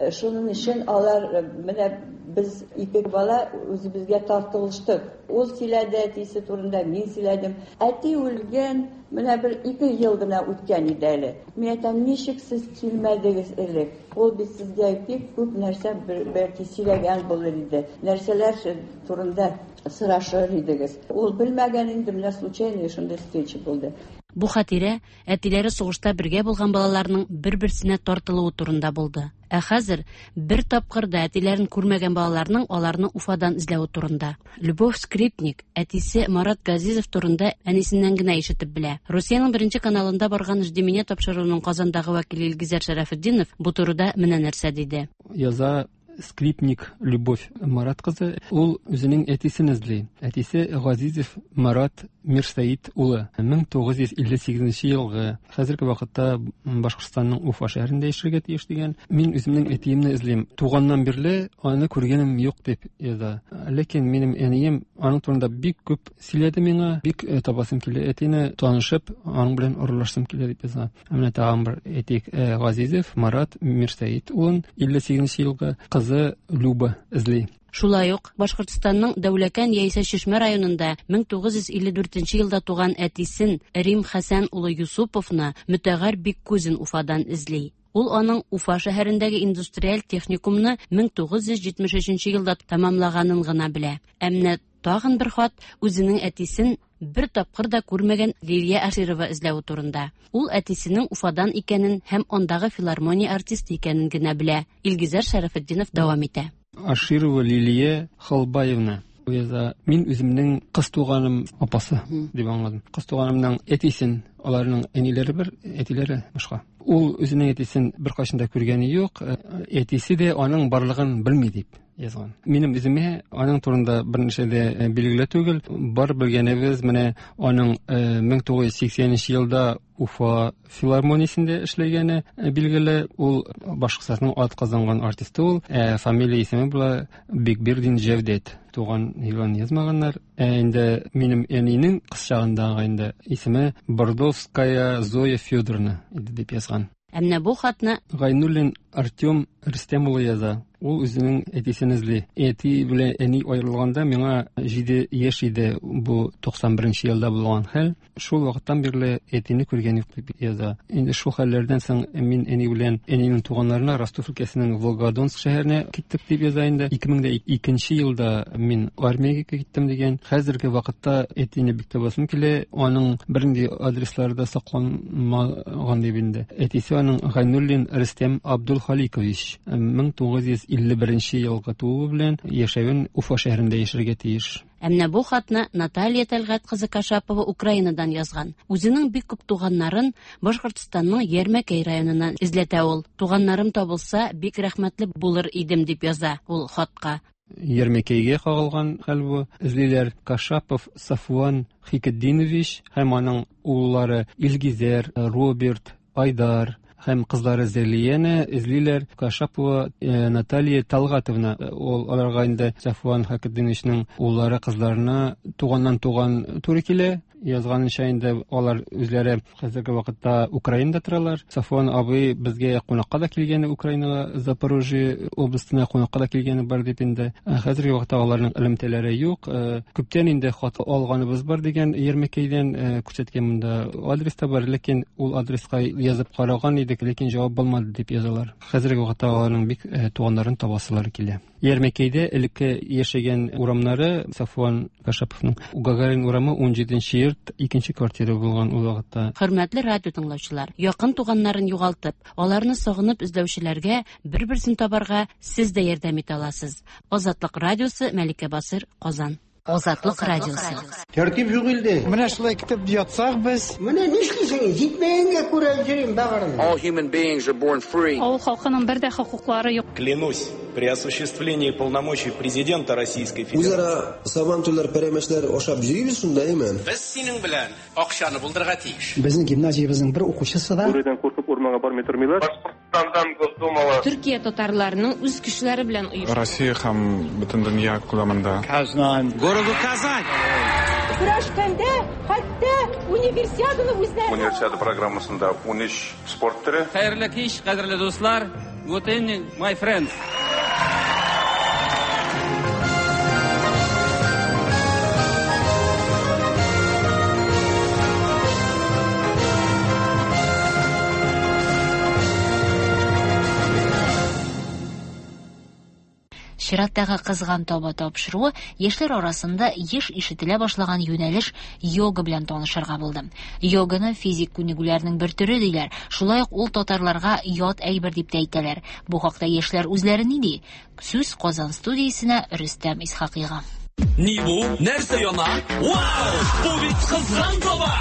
шуның өчен алар менә без ике бала үзебезгә тартылыштык. Ул сөйләде әтисе турында, мин сөйләдем. Әти үлгән, менә бер ике ел гына үткән иде әле. Мин әйтәм, ничек сез килмәдегез элек? Ул бит сезгә бик күп нәрсә бәлки сөйләгән булыр иде. Нәрсәләр турында сорашыр идегез. Ул белмәгән инде, менә случайно шундый встреча булды. Бу хатирә әтиләре сугышта бергә булган балаларның бер-берсенә тартылуы турында булды. Ә хәзер бер тапкыр да әтиләрен күрмәгән балаларның аларны Уфадан эзләве турында. Любовь Скрипник әтисе Марат Газизов турында әнисеннән генә ишетеп белә. Русиянең беренче каналында барган «Жди меня» тапшыруының Казандагы вәкиле Илгизәр Шәрәфетдинов бу турыда менә нәрсә диде. Яза Скрипник Любовь Марат кызы, ул үзенең әтисен эзли. Әтисе Газизов Марат Мирсаид улы. мең тугыз йөз илле сигезенче елгы, хәзерге вакытта Башкортстанның Уфа шәһәрендә яшәргә тиеш дигән. Мин үземнең әтиемне эзлим. Туганнан бирле аны күргәнем юк дип яза. Ләкин минем әнием аның турында бик күп сөйләде миңа. Бик табасым килә әтине, танышып, аның белән аралашсым килә дип яза. Менә тагын бер әйтик, Газизов Марат Мирсаид улын илле сигезенче елгы кызы Люба эзли. Шулай ук Башкортстанның Дәүләкән яисә Чишмә районында мең тугыз йөз илле дүртенче елда туган әтисен Рим Хәсән улы Юсуповны Мөтәгәр Биккузин Уфадан эзли. Ул аның Уфа шәһәрендәге индустриаль техникумны мең тугыз йөз җитмеш өченче елда тәмамлаганын гына белә. Ә менә тагын бер хат үзенең әтисен бер тапкыр да күрмәгән Лилия Аширова эзләве турында. Ул әтисенең Уфадан икәнен һәм андагы филармония артисты икәнен генә белә. Илгизәр Шәрәфетдинов дәвам итә. Аширова Лилия Халбаевна яза. Мин үземнең кыз туганым апасы дип аңладым. Кыз туганымның әтисен, аларның әниләре бер, әтиләре башка. Ул үзенең әтисен беркайчан да күргәне юк, әтисе дә аның барлыгын белми дип язган. Минем үземә аның турында берничә дә билгеле түгел. Бар белгәнебез менә аның мең тугыз йөз сиксәненче елда Уфа филармониясендә эшләгәне билгеле. Ул Башкортстанның атказанган артисты ул. Ә фамилия исеме була Бикбирдин Җәүдәт. Туган елын язмаганнар. Ә инде минем әнинең кыз чагындагы инде исеме Бордовская Зоя Федоровна иде дип язган. Ә менә бу хатны Гайнуллин Артем Рөстәм улы яза. Ул үзенең әтисен эзли. Әти белән әни аерылганда миңа җиде яшь иде, бу туксан беренче елда булган хәл. Шул вакыттан бирле әтине күргән юк дип яза. Инде шул хәлләрдән соң мин әни белән әнинең туганнарына Ростов өлкәсенең Волгодонск шәһәренә киттек дип яза инде. ике мең икенче елда мин армиягә киттем дигән. Хәзерге вакытта әтине бик табасым килә. Аның бернинди адреслары да сакланмаган дип инде. Әтисе аның Гайнуллин Рөстәм Абдулхаликович мең тугыз йөз илле беренче елгы тууы белән яшәвен Уфа шәһәрендә яшәргә тиеш. Ә менә бу хатны Наталья Тәлгать кызы Кашапова Украинадан язган. Үзенең бик күп туганнарын Башкортстанның Ярмәкәй районыннан эзләтә ул. Туганнарым табылса, бик рәхмәтле булыр идем дип яза ул хатка. Ярмәкәйгә кагылган хәл бу. Эзлиләр Кашапов Сафуан Хикетдинович һәм аның уллары Илгизәр, Роберт, Айдар һәм кызлары Зәлияне эзлиләр. Кашапова Наталья Талгатовна, ул аларга инде Сафуан Хакетдиновичның уллары кызларына туганнан туган туры килә. Язганынча инде алар үзләре хәзерге вакытта Украинада торалар. Сафуан абый безгә кунакка да килгәне, Украинага, Запорожье областына кунакка да килгәне бар дип инде. Хәзерге вакытта аларның элемтәләре юк. Күптән инде хат алганыбыз бар дигән Ермекейдән күрсәткән монда адрес та бар, ләкин ул адреска язып караган идек, ләкин җавап булмады дип язалар. Хәзерге вакытта аларның бик туганнарын табасылары килә. Ермекейдә элекке яшәгән урамнары Сафуан Кашаповның Гагарин урамы ун җиденче йорт, икенче квартира булган ул вакытта. Хөрмәтле радио тыңлаучылар, якын туганнарын югалтып, аларны сагынып эзләүчеләргә бер-берсен табарга сез дә ярдәм итә аласыз. Азатлык радиосы, Мәликә Басыр, Казан. Азатлык радиосы. Тәртип юк илде. Менә шулай китеп ятсак без. Менә нишлисең? Җитмәгәнгә күрә йөрим багырым. All human beings are born free. Авыл халкының бер дә хокуклары юк. Клянусь, при осуществлении полномочий президента Российской Федерации. Үзара сабантуйлар, пәрәмәчләр ашап йөрибез шунда, әйме? Без синең белән акчаны булдырырга тиеш. Безнең гимназиябезнең бер укучысы да Бүредән куркып урманга бармый тормыйлар. Башкортстандан Госдумала. Төркия татарларының үз кешеләре белән оештырган. Россия һәм бөтен дөнья күләмендә. Казан. Городу Казань. Көрәшкәндә хәтта универсиаданы үзләре. Универсиада программасында ун өч спорт төре. Хәерле кич, кадерле дуслар. Good evening, my friends. Чираттагы кызган таба тапшыруы яшьләр арасында еш ишетелә башлаган юнәлеш йога белән танышырга булды. Йоганы физик күнегүләрнең бер төре диләр. Шулай ук ул татарларга ят әйбер дип тә әйтәләр. Бу хакта яшьләр үзләре ни ди? Сүз Казан студиясенә Рөстәм Исхакыйга. Ни бу? Нәрсә яна? Вау! Бу бит кызган таба!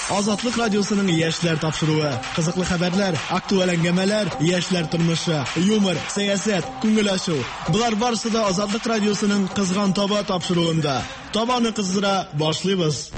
Азатлык радиосының яшьләр тапшыруы. Кызыклы хәбәрләр, актуаль әңгәмәләр, яшьләр тормышы, юмор, сәясәт, күңел ачу. Болар барысы да Азатлык радиосының Кызган таба тапшыруында. Табаны кыздыра башлыйбыз.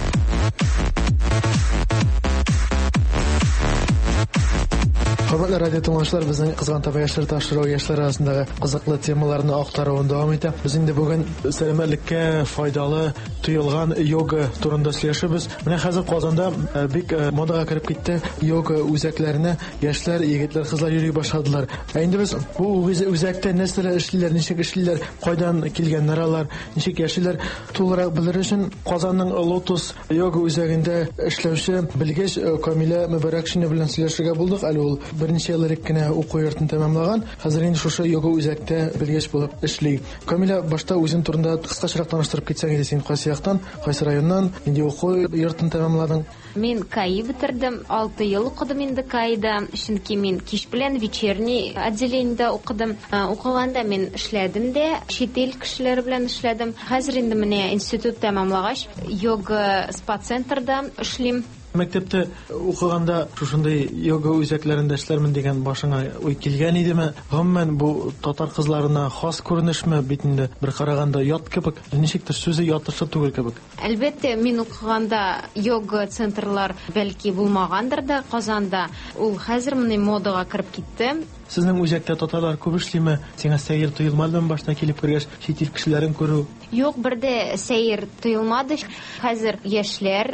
Хөрмәтле радио тыңлаучылар, безнең Кызган таба яшьләр тапшыруы яшьләр арасындагы кызыклы темаларны актаруын дәвам итә. Без инде бүген сәламәтлеккә файдалы тоелган йога турында сөйләшәбез. Менә хәзер Казанда бик модага кереп китте йога үзәкләренә яшьләр, егетләр, кызлар йөри башладылар. Ә инде без бу үзәктә нәрсәләр эшлиләр, ничек эшлиләр, кайдан килгәннәр алар, ничек яшиләр, тулырак белер өчен Казанның Лотос йога үзәгендә эшләүче белгеч Камилә Мөбәрәкшина белән сөйләшергә булдык. Әле ул берничә ел элек кенә уку йортын тәмамлаган, хәзер инде шушы йога үзәктә белгеч булып эшли. Камилә, башта үзең турында кыскачарак таныштырып китсәң иде, син кайсы яктан, кайсы районнан, нинди уку йортын тәмамладың? Мин КАИ бетердем, алты ел укыдым инде КАИда, чөнки мин кич белән вечерний отделениедә укыдым. Укыганда мин эшләдем дә, чит ил кешеләре белән эшләдем. Хәзер инде менә институт тәмамлагач, йога спа-центрда эшлим. Мәктәптә укыганда шушындый йога үзәкләрендә эшләрмен дигән башыңа уй килгән идеме? Гомумән, бу татар кызларына хас күренешме? Бит инде бер караганда ят кебек, ничектер сүзе ятышлы түгел кебек. Әлбәттә, мин укыганда йога центрлар бәлки булмагандыр да Казанда. Ул хәзер менә модага кереп китте. Сезнең үзәктә татарлар күп эшлиме? Сиңа сәер тоелмадымы башта килеп кергәч, чит ил кешеләрен күрү? Юк, бер дә сәер тоелмады. Хәзер яшьләр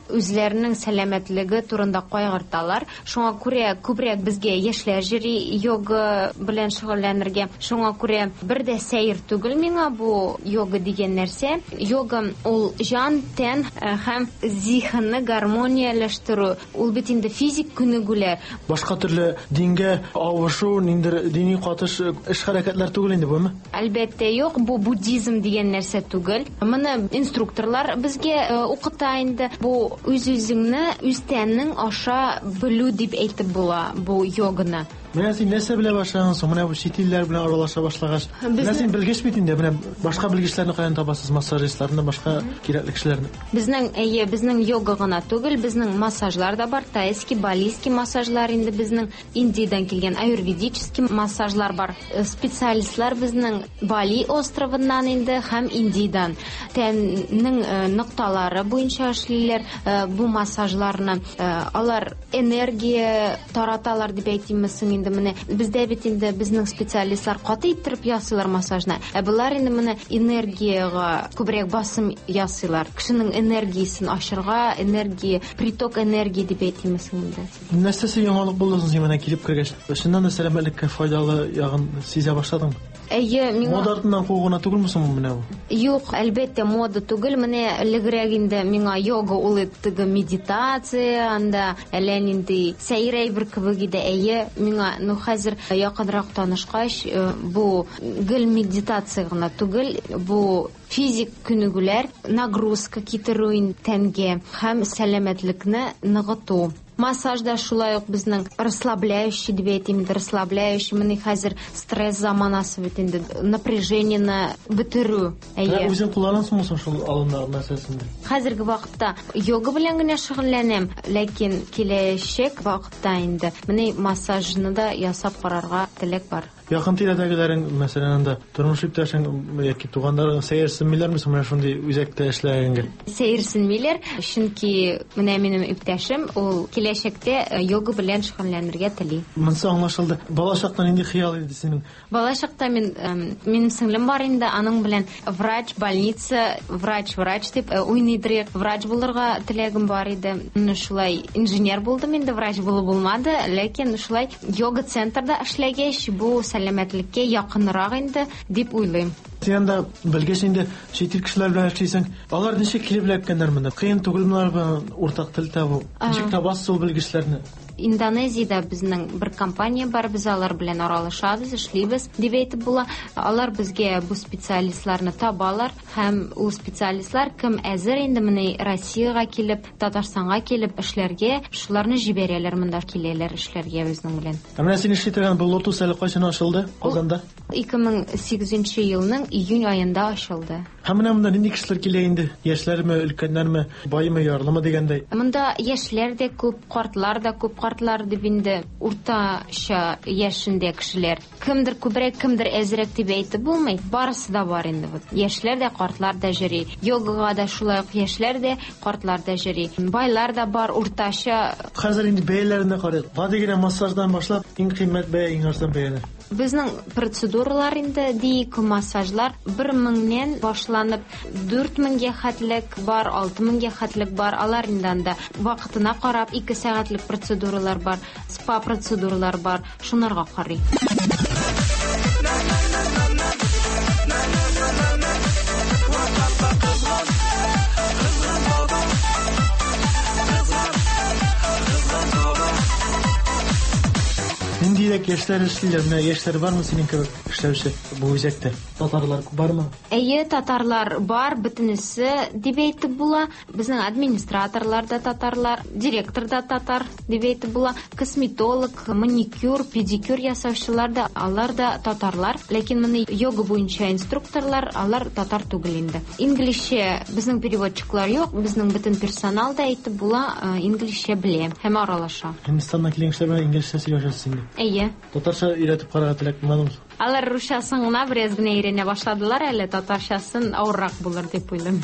үзләренең сәламәтлеге турында кайгырталар. Шуңа күрә күбрәк безгә яшьләр йөри йога белән шөгыльләнергә. Шуңа күрә бер дә сәер түгел миңа бу йога дигән нәрсә. Йога ул җан, тән һәм зиһенне гармонияләштерү. Ул бит инде физик күнегүләр. Башка төрле дингә авышу, ниндер дини катыш эш хәрәкәтләр түгел инде буме? Әлбәттә юк, бу буддизм дигән нәрсә түгел. Моны инструкторлар безгә укыта инде. Бу үз-үзеңне, үз тәнең аша белү дип әйтеп була бу йоганы. Менә син нәрсә белә башладың соң? Менә бу чит илләр белән аралаша башлагач. Менә син белгеч бит инде, менә башка белгечләрне каян табасыз, массажистларны, башка кирәкле кешеләрне? Безнең, әйе, безнең йога гына түгел, безнең массажлар да бар, тайский, балийский массажлар инде безнең Индиядән килгән аюрведический массажлар бар. Специалистлар безнең Бали островыннан инде һәм Индиядән. Тәннең нокталары буенча эшлиләр бу массажларны. Алар энергия тараталар дип әйтимме соң инде менә. Бездә бит инде безнең специалистлар каты иттереп ясыйлар массажны. Ә булар инде менә энергиягә күбрәк басым ясыйлар. Кешенең энергиясен ашырга, энергия, приток энергии дип әйтимме соң инде. Нәрсәсе яңалык булды соң менә килеп кергәч? Чыннан да сәламәтлеккә файдалы ягын сизә башладыңмы? Әйе, миңа мода артыннан куу гына түгелме соң менә бу? Юк, әлбәттә, мода түгел. Менә элегрәк инде миңа йога ул теге медитация, анда әллә нинди сәер әйбер кебек иде. Әйе, миңа, ну хәзер якынрак танышкач, бу гел медитация гына түгел, бу физик күнегүләр, нагрузка китерү тәнгә һәм сәламәтлекне ныгыту. Массаж да шулай ук безнең расслабляющий дип әйтим, расслабляющий. Менә хәзер стресс заманасы бит инде, напряжениене бетерү. Әйе. Үзең кулланасыңмы соң шул алымнар нәрсәсен? Хәзерге вакытта йога белән генә шөгыльләнәм, ләкин киләчәк вакытта инде менә массажны да ясап карарга теләк бар. Якын тирәдәгеләрең, мәсәлән, анда тормыш иптәшең яки туганнарың сәерсенмиләрме соң менә шундый үзәктә эшләгәнгә? Сәерсенмиләр, чөнки менә минем иптәшем ул киләчәктә йога белән шөгыльләнергә тели. Монысы аңлашылды. Бала чакта нинди хыял иде синең? Бала чакта мин минем сеңлем бар инде, аның белән врач, больница, врач, врач дип уйныйдыр. Врач булырга теләгем бар иде. Менә шулай инженер булдым инде, врач булып булмады, ләкин шулай йога центрда эшләгәч, бу сәламәтлеккә якынрак инде дип уйлыйм. Син анда белгеч инде, чит ил кешеләр белән эшлисең. Алар ничек килеп эләккәннәр монда? Кыен түгелме алар белән уртак тел табу? Ничек табасыз ул белгечләрне? Индонезиядә безнең бер компания бар, без алар белән аралашабыз, эшлибез дип әйтеп була. Алар безгә бу специалистларны табалар һәм ул специалистлар кем әзер инде менә Россиягә килеп, Татарстанга килеп эшләргә, шуларны җибәрәләр, монда киләләр эшләргә безнең белән. Ә менә син эшли торган бу Лотус әле кайчан ачылды Казанда? ике мең сигезенче елның июнь аенда ачылды. Һәм менә монда нинди кешеләр килә инде? Яшьләрме, өлкәннәрме, баймы, ярлымы дигәндәй? Монда яшьләр дә күп, картлар да күп, картлар дип инде уртача яшендә кешеләр. Кемдер күбрәк, кемдер әзрәк дип әйтеп булмый. Барысы да бар инде. Яшьләр дә, картлар да йөри. Йогага да шулай ук яшьләр дә, картлар да йөри. Байлар да бар, уртача. Хәзер инде бәяләренә карыйк. Гади генә массаждан башлап, иң кыйммәт бәя, иң арзан бәяләр. Безнең процедуралар инде, диик, массажлар бер меңнән башланып дүрт меңгә хәтлек бар, алты меңгә хәтлек бар. Алар инде анда вакытына карап ике сәгатьлек процедуралар бар, спа процедуралар бар, шунарга карый. Ниндирәк яшьләр эшлиләр? Менә яшьләр бармы синең кебек эшләүче бу үзәктә? Татарлар бармы? Әйе, татарлар бар, бөтенесе дип әйтеп була. Безнең администраторлар да татарлар, директор да татар дип әйтеп була. Косметолог, маникюр, педикюр ясаучылар да, алар да татарлар. Ләкин моны йога буенча инструкторлар, алар татар түгел инде. Инглизчә безнең переводчиклар юк, безнең бөтен персонал да әйтеп була, инглизчә белә һәм аралаша. Һиндстаннан килгән кешеләр белән инглизчә сөйләшәсез инде. Әйе. Татарча өйрәтеп карарга теләк булмадымы? Алар русчасын гына бераз генә өйрәнә башладылар әле, татарчасын авыррак булыр дип уйлыйм.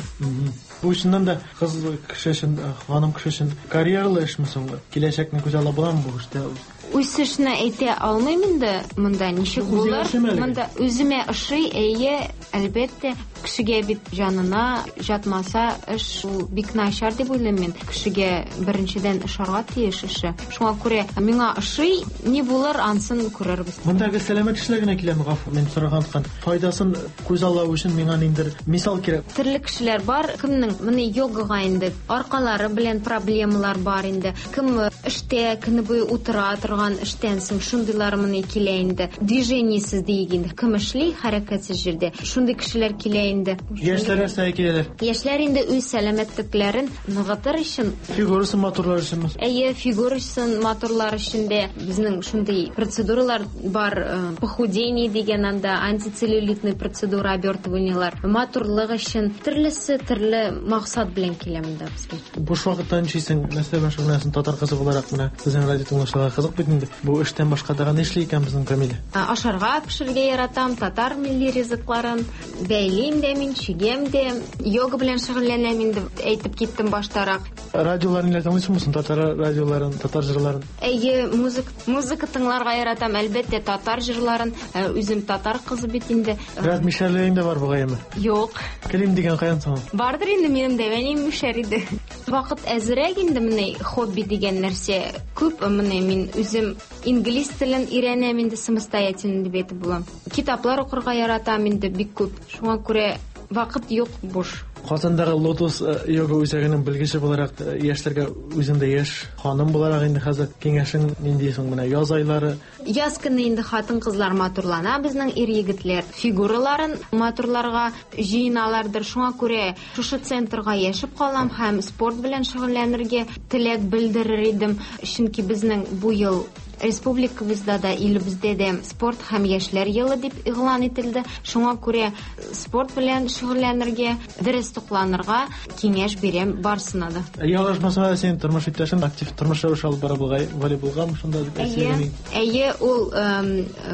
Бу чыннан да кыз кеше өчен, ханым кеше өчен карьералы эшме соң? Киләчәкне күз алла буламы бу эштә? Үсешне әйтә алмыйм инде, монда ничек булыр? Монда үземә ошый, әйе, әлбәттә, кешегә бит җанына жатмаса, эш ул бик начар дип уйлыйм мин. Кешегә беренчедән ошарга тиеш эше. Шуңа күрә миңа ошый, ни булыр, ансын күрербез. Мондагы сәламәт кешеләр генә киләме, гафу, мин сораган ткан. Файдасын күз аллау өчен миңа ниндер мисал кирәк. Төрле кешеләр бар, кемнең моны йогага инде аркалары белән проблемалар бар инде. Кем эштә көне буе утыра торган эштән соң шундыйлар моны килә инде. Движениесез диген, кем эшли хәрәкәтсез җирдә. Шундый Шундый кешеләр килә инде. Яшьләр нәрсәгә киләләр? Яшьләр инде үз сәламәтлекләрен ныгытыр өчен, фигурасын матурлар өчен. Әйе, фигурасын матурлар өчен дә безнең шундый процедуралар бар, похудение дигән анда антицеллюлитный процедура, обертываниелар. Матурлык өчен төрлесе төрле максат белән килә монда безгә. Буш вакытта нишлисең? Нәрсә белән шөгыльләнәсең? Татар кызы буларак менә сезнең радио тыңлаучыларга кызык бит инде. Бу эштән башка тагын нишли икән безнең Камилә? Ашарга пешерергә яратам, татар милли ризыкларын бәйлим дә мин, чигәм дә, йога белән шөгыльләнәм инде, әйтеп киттем баштарак. Радиоларын ниләр тыңлыйсыңмы соң? Татар радиоларын, татар җырларын? Әйе, музыка, музыка тыңларга яратам, әлбәттә, татар җырларын. Үзем татар кызы бит инде. Бераз мишәрлегең дә бар бугай әмма? Юк. Килим дигән каян соң? Бардыр инде минем дә, әнием мишәр иде. Вакыт әзрәк инде менә хобби дигән нәрсә күп. Менә мин үзем инглиз телен өйрәнәм инде самостоятельно дип әйтеп булам. Китаплар укырга яратам инде бик күп. Шуңа күрә вакыт юк буш. Казандагы Лотос йога үзәгенең белгече буларак яшьләргә үзең дә яшь ханым буларак инде хәзер киңәшең нинди соң менә яз айлары? Яз көне инде хатын-кызлар матурлана, безнең ир-егетләр фигураларын матурларга җыеналардыр. Шуңа күрә шушы центрга яшәп калам һәм спорт белән шөгыльләнергә теләк белдерер идем, чөнки безнең бу ел республикабызда да, илебездә дә спорт һәм яшьләр елы дип игълан ителде. Шуңа күрә спорт белән шөгыльләнергә, дөрес тукланырга киңәш бирәм барсына да. Ялгышмасам, синең тормыш иптәшең актив тормыш рәвеше алып бара бугай, волейболгамы шунда дип әйтсәң? Әйе, ул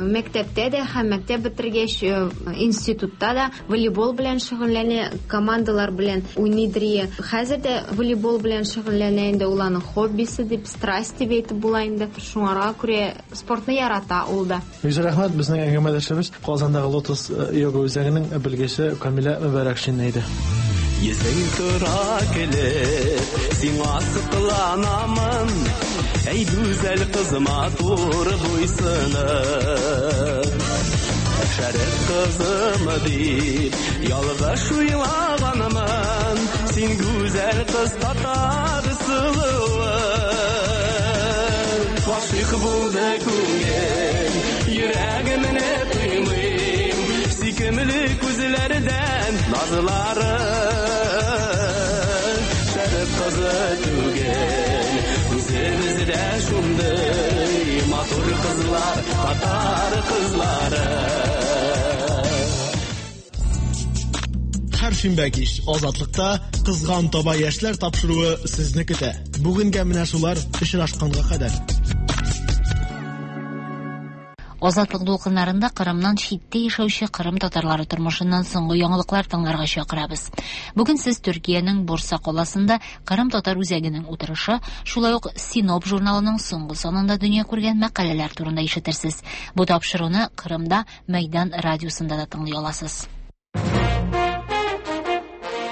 мәктәптә дә һәм мәктәп бетергәч институтта да волейбол белән шөгыльләнә, командалар белән уйныйдыр. Хәзер дә волейбол белән шөгыльләнә инде, ул аның хоббисы дип, страсть дип әйтеп була инде. Шуңа күрә спортны ярата ул да. Бик рәхмәт, безнең әңгәмәдәшебез Казандагы Лотос йога үзәгенең белгече Камилә Мөбәрәкшина иде. Йөзең тора килеп, сиңа сокланамын, әй гүзәл кыз матур буйсыны. Шәрык кызым дип, ялгыш уйлаганмын, син гүзәл кыз татар сылуы. Гашыйк булды күңел, йөрәгемне тоймыйм, сөйкемле күзләрдән назлары. Шәрык кызы түгел, үзебездә шундый матур кызлар, татар кызлары. Һәр шимбә кич Азатлыкта Кызган таба яшьләр тапшыруы сезне көтә. Бүгенгә менә шулар, очрашканга кадәр. Азатлык дулкыннарында Кырымнан читтә яшәүче Кырым татарлары тормышыннан соңгы яңалыклар тыңларга чакырабыз. Бүген сез Төркиянең Бурса каласында Кырым татар үзәгенең утырышы, шулай ук Синоп журналының соңгы санында дөнья күргән мәкаләләр турында ишетерсез. Бу тапшыруны Кырымда Мәйдан радиосында да тыңлый аласыз.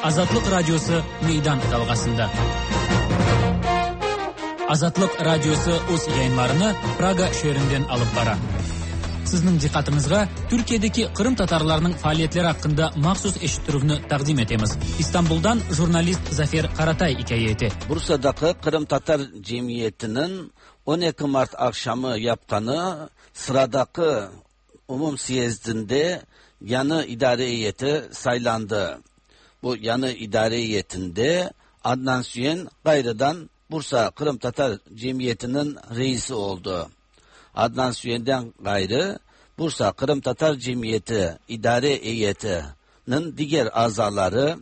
Азатлык радиосы Meydan dalgasında. Azatlık radiosu öz yayınlarını Praga şehrinden alıp bara. Sizning diqqətinizə Türkiye'deki Kırım Tatarlarının faaliyetleri hakkında mahsus eşittirüvni taqdim etemiz. İstanbul'dan jurnalist Zafer Karatay hikaye ete. Bursa'daki Kırım Tatar Cemiyeti'nin on iki Mart akşamı yapqanı sıradaki umum siyezdinde yanı idare heyeti saylandı. Bu yanı idare heyetinde Adnan Süyen gayrıdan Bursa Kırım Tatar Cemiyeti'nin reisi oldu. Adnan Süyen'den gayrı Bursa Kırım Tatar Cemiyeti İdare Heyeti'nin diğer azaları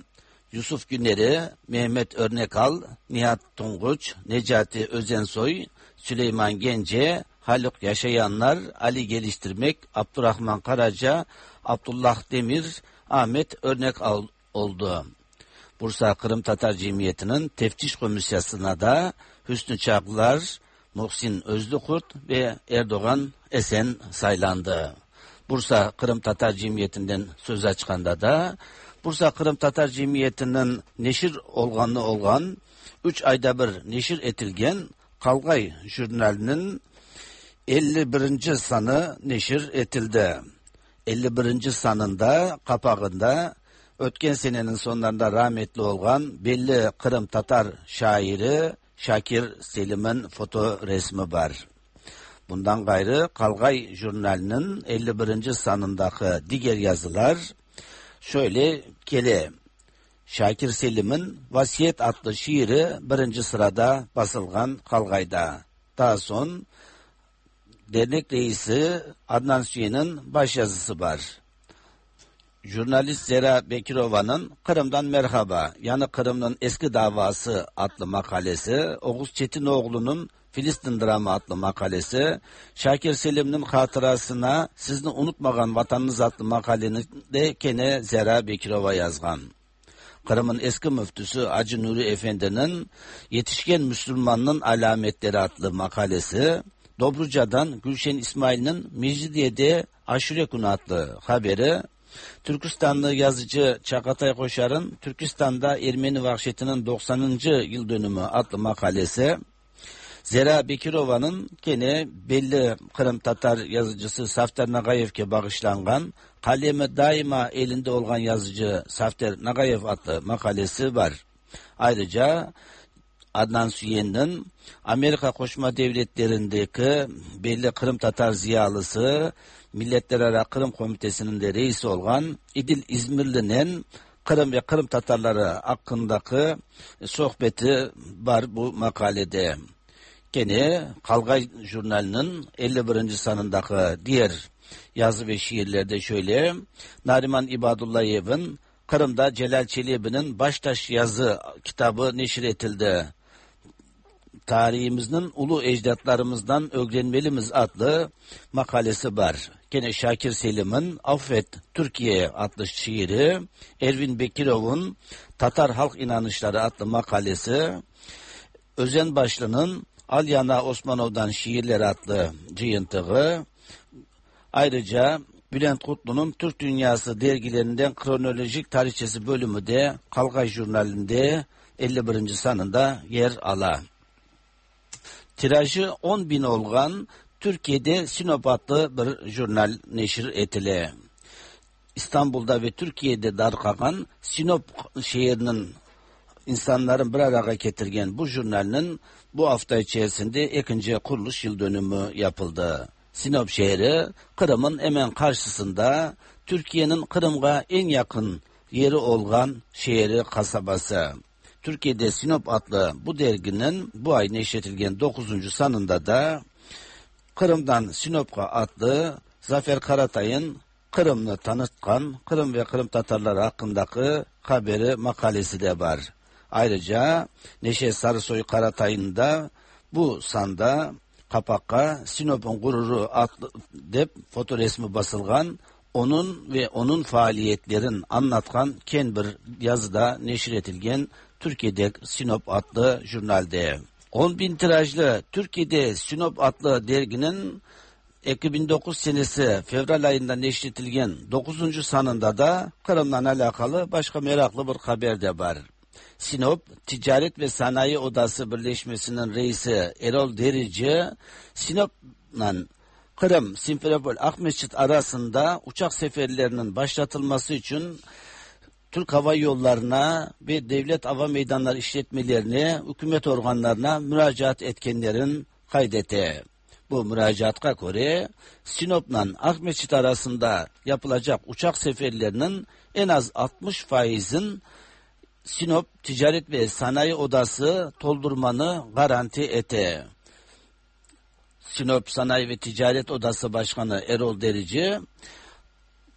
Yusuf Güner'i, Mehmet Örnekal, Nihat Tonguç, Necati Özensoy, Süleyman Gence, Haluk Yaşayanlar, Ali Geliştirmek, Abdurrahman Karaca, Abdullah Demir, Ahmet Örnekal oldu. Bursa Kırım Tatar Cemiyeti'nin teftiş komisyasına da Hüsnü Çaklar, Muhsin Özlükurt ve Erdoğan Esen saylandı. Bursa Kırım Tatar Cemiyeti'nden söz açkanda da Bursa Kırım Tatar Cemiyeti'nin neşir olganı olgan üç ayda bir neşir etilgen Kalgay jurnalinin elli birinci sanı neşir etildi. elli birinci sanında kapağında ötken senenin sonlarında rahmetli olgan belli Kırım Tatar şairi Şakir Selim'in foto resmi var. Bundan gayrı Kalgay jurnalinin elli birinci sanındaki diğer yazılar şöyle kele. Şakir Selim'in Vasiyet adlı şiiri birinci sırada basılgan Kalgay'da. Daha son dernek reisi Adnan Süyen'in başyazısı var. Jurnalist Zera Bekirova'nın Kırım'dan Merhaba, yani Kırım'ın Eski Davası adlı makalesi, Oğuz Çetinoğlu'nun Filistin Dramı adlı makalesi, Şakir Selim'in hatırasına Sizni Unutmagan Vatanınız adlı makaleni de kene Zera Bekirova yazgan. Kırım'ın eski müftüsü Hacı Nuri Efendi'nin Yetişken Müslümanın Alametleri adlı makalesi, Dobruca'dan Gülşen İsmail'in Mecidiye'de Aşure Günü adlı haberi, Türkistanlı yazıcı Çakatay Koşar'ın Türkistan'da Ermeni Vahşeti'nin doksanıncı yıl dönümü adlı makalesi, Zera Bekirova'nın gene belli Kırım Tatar yazıcısı Safter Nagayev'e bağışlangan kalemi daima elinde olan yazıcı Safter Nagayev adlı makalesi var. Ayrıca Adnan Süyen'in Amerika Qoşma Devletleri'ndeki belli Kırım Tatar ziyalısı, Milletlerara Kırım Komitesi'nin de reisi olan İdil İzmirli'nin Kırım ve Kırım Tatarları hakkındaki sohbeti var bu makalede. Gene Kalgay Jurnali'nin elli birinci sanındaki diğer yazı ve şiirlerde şöyle: Nariman İbadullayev'in Kırım'da Celal Çelebi'nin Baştaş yazı kitabı neşir etildi. Tarihimizin ulu ecdatlarımızdan öğrenmelimiz adlı makalesi var. Gene Şakir Selim'in Affet Türkiye adlı şiiri, Ervin Bekirov'un Tatar Halk İnanışları adlı makalesi, Özen Başlı'nın Alyana Osmanov'dan Şiirler adlı cıyıntığı, ayrıca Bülent Kutlu'nun Türk Dünyası dergilerinden kronolojik tarihçesi bölümü de Kalgay Jurnali'nde elli birinci sanında yer ala. Tirajı on bin olgan Türkiye'de Sinop adlı bir jurnal neşir etile. İstanbul'da ve Türkiye'de darqagan Sinop şehrinin insanların bir araya getirgen bu jurnalinin bu hafta içerisinde ikinci kuruluş yıl dönümü yapıldı. Sinop şehri Kırım'ın hemen karşısında, Türkiye'nin Kırım'a en yakın yeri olan şehri, kasabası. Türkiye'de Sinop adlı bu derginin bu ay neşredilgen dokuzuncu sanında da Kırım'dan Sinop'a adlı Zafer Karatay'ın Kırım'ı tanıtkan Kırım ve Kırım Tatarları hakkındaki haberi, makalesi de var. Ayrıca Neşe Sarısoy Karatay'ın da bu sanda kapakka Sinop'un gururu adlı dep fotoresmi basılgan, onun ve onun faaliyetlerin anlatkan ken bir yazıda neşir etilgen Türkiye'de Sinop adlı jurnalde. on bin tirajlı Türkiye'de Sinop adlı derginin iki bin dokuz senesi Fevral ayında neşredilgen dokuzuncu sanında da Kırım'la alakalı başka meraklı bir haber de var. Sinop Ticaret ve Sanayi Odası Birleşmesi'nin reisi Erol Derici, Sinop'la Kırım, Simferopol, Akmescit arasında uçak seferlerinin başlatılması için Türk Hava Yolları'na ve devlet hava meydanları işletmelerine, hükümet organlarına müracaat etkenlerin kaydetti. Bu müracaata göre Sinop'la Akmescit arasında yapılacak uçak seferlerinin en az altmış faizin Sinop Ticaret ve Sanayi Odası doldurmanı garanti etti. Sinop Sanayi ve Ticaret Odası Başkanı Erol Derici,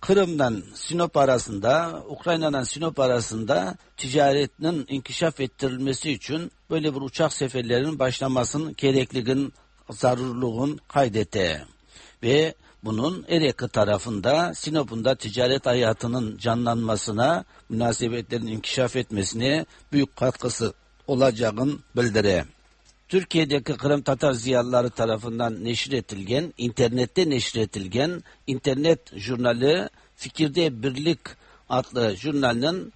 Kırım'dan Sinop arasında, Ukrayna'dan Sinop arasında ticaretinin inkişaf ettirilmesi için böyle bir uçak seferlerinin başlamasının gerekliliğin, zarurluğun kaydetti. Ve bunun Erek tarafında Sinop'un da ticaret hayatının canlanmasına, münasebetlerin inkişaf etmesine büyük katkısı olacağını bildire. Türkiye'deki Kırım Tatar ziyalıları tarafından neşretilgen, internette neşretilgen internet jurnali Fikirde Birlik adlı jurnalinin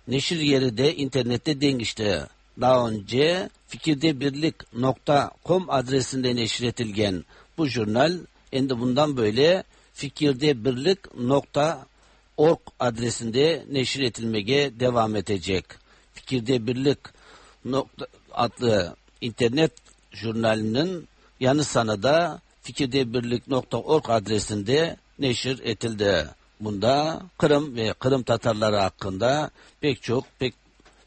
neşir yeri de internette dengişti. Daha önce fikirdebirlik nokta com adresinde neşretilgen bu jurnal endi bundan böyle fikirdebirlik nokta org adresinde neşir etilmeye devam edecek. Fikirdebirlik nokta adlı internet jurnalinin yanı sana da fikirdebirlik nokta org adresinde neşir etildi. Bunda Kırım ve Kırım Tatarları hakkında pek çok pek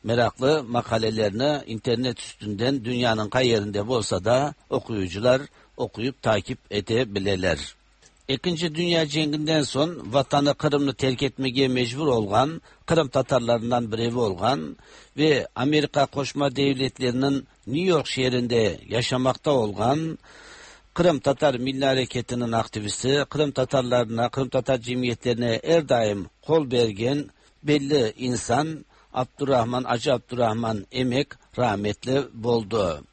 meraklı makalelerini internet üstünden dünyanın kay yerinde olsa da okuyucular okuyup takip edebilirler. İkinci Dünya Cenginden son vatanı Kırım'ı terk etmeye mecbur olgan, Kırım Tatarlarından birevi olgan ve Amerika Qoşma Devletleri'nin New York şehrinde yaşamakta olgan Kırım Tatar Milli Hareketi'nin aktivisti, Kırım Tatarlarına, Kırım Tatar cemiyetlerine her daim kol bergen belli insan Abdurrahman, Acı Abdurrahman Emek rahmetli boldu.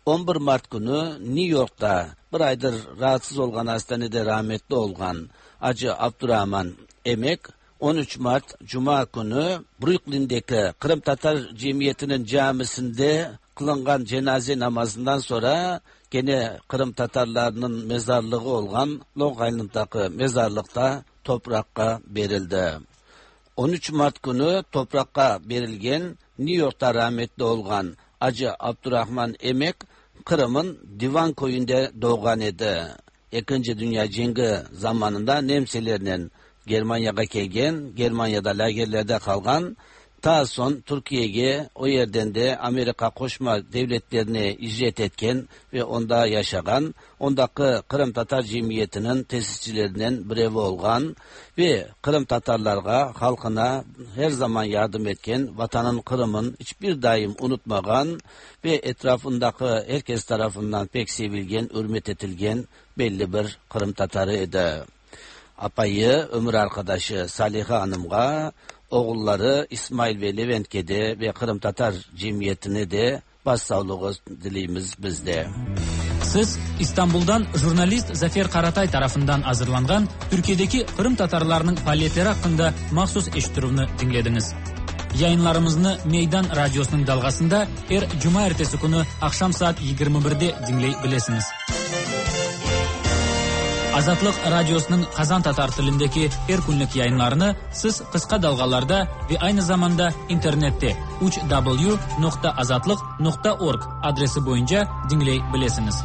on bir Mart günü New York'ta bir aydır rahatsız olgan hastanede rahmetli olgan Acı Abdurrahman Emek on üç Mart Cuma günü Brooklyn'deki Kırım Tatar Cemiyeti'nin camisinde kılıngan cenaze namazından sonra gene Kırım Tatarlarının mezarlığı olgan Long Island'daki mezarlıkta toprakka berildi. on üç Mart günü toprakka berilgen New York'ta rahmetli olgan Acı Abdurrahman Emek Kırım'ın Divan köyünde doğan idi. İkinci Dünya Cengi zamanında Nemselerle Germanya'ya kelgen, Germanya'da lagerlerde kalgan, ta son Türkiye'ye o yerden de Amerika Qoşma Devletlerine icret etken ve onda yaşagan, ondaki Kırım Tatar Cemiyeti'nin tesisçilerinden birevi olgan ve Kırım Tatarlarga, halkına her zaman yardım etken, vatanın Kırım'ın hiçbir daim unutmagan ve etrafındaki herkes tarafından pek sevilgen, hürmet etilgen belli bir Kırım Tatarı idi. Apayı, ömür arkadaşı Saliha Hanım'a, oğulları İsmail ve Levent'e de ve Kırım Tatar Cemiyeti'ne de başsağlığı dileyimiz bizde. Siz İstanbul'dan jurnalist Zafer Karatay tarafından hazırlangan Türkiye'deki Kırım Tatarlarının faaliyetleri hakkında mahsus eşittirüvni dinlediniz. Yayınlarımızı Meydan Radyosu'nun dalgasında her cuma ertesi günü akşam saat yigirmi birde dinleyebilirsiniz. Azatlıq Radiosu'nun Kazan Tatar tilindeki her günlük yayınlarını siz kısa dalgalarda ve aynı zamanda internette üç w nokta azatlık nokta org adresi boyunca dinleyebilirsiniz.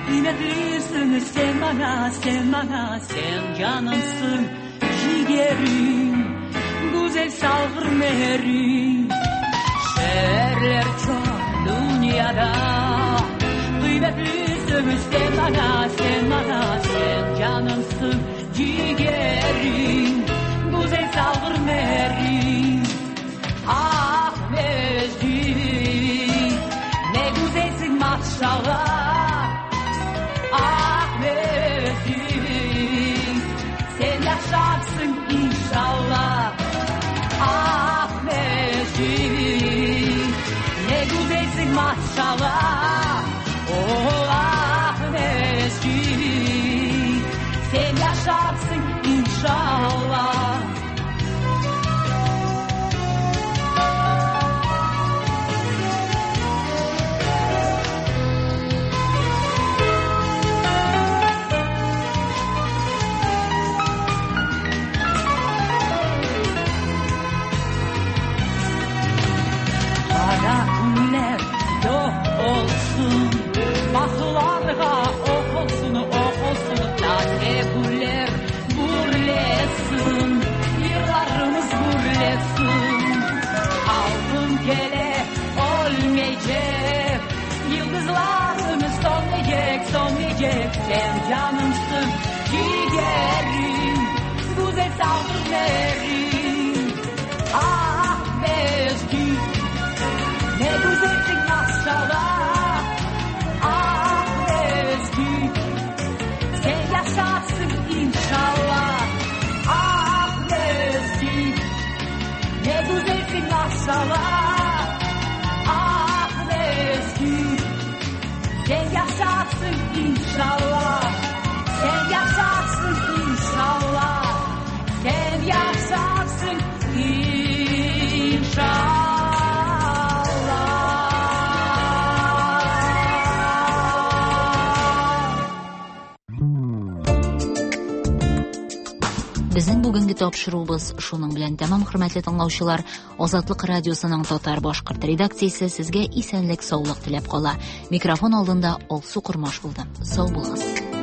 Kıymetlisin sen bana, sen bana, sen canımsın, ciğerim, güzel salgır merim. Şehirler çok dünyada, kıymetlisin sen bana, sen bana, sen canımsın, ciğerim, güzel salgır merim. Ah Mecid, ne güzelsin maşallah. Ah Mecid, sen yaşarsın inşallah. Ah Mecid, ne güzelsin maşallah. Oh ah Mecid, sen yaşarsın inşallah. Baklarga okulsun, okulsun, taze güller gürlesin, yıllarımız gürlesin. Altın kele olmayacak, yıldızlarımız sönmeyecek, sönmeyecek. Sen canımsın, ciğerim, güzel sağlıklarım. Ah Mecid, ne güzelsin maşallah. Sen yaşarsın inşallah. Ah Mecid, ne güzelsin maşallah. Ah Mecid, sen yaşarsın inşallah. Безнең бүгенге тапшыруыбыз шуның белән тәмам, хөрмәтле тыңлаучылар. Азатлык радиосының татар башкорт редакциясе сезгә исәнлек, саулык теләп кала. Микрофон алдында Алсу Кормаш булды. Сау булыгыз.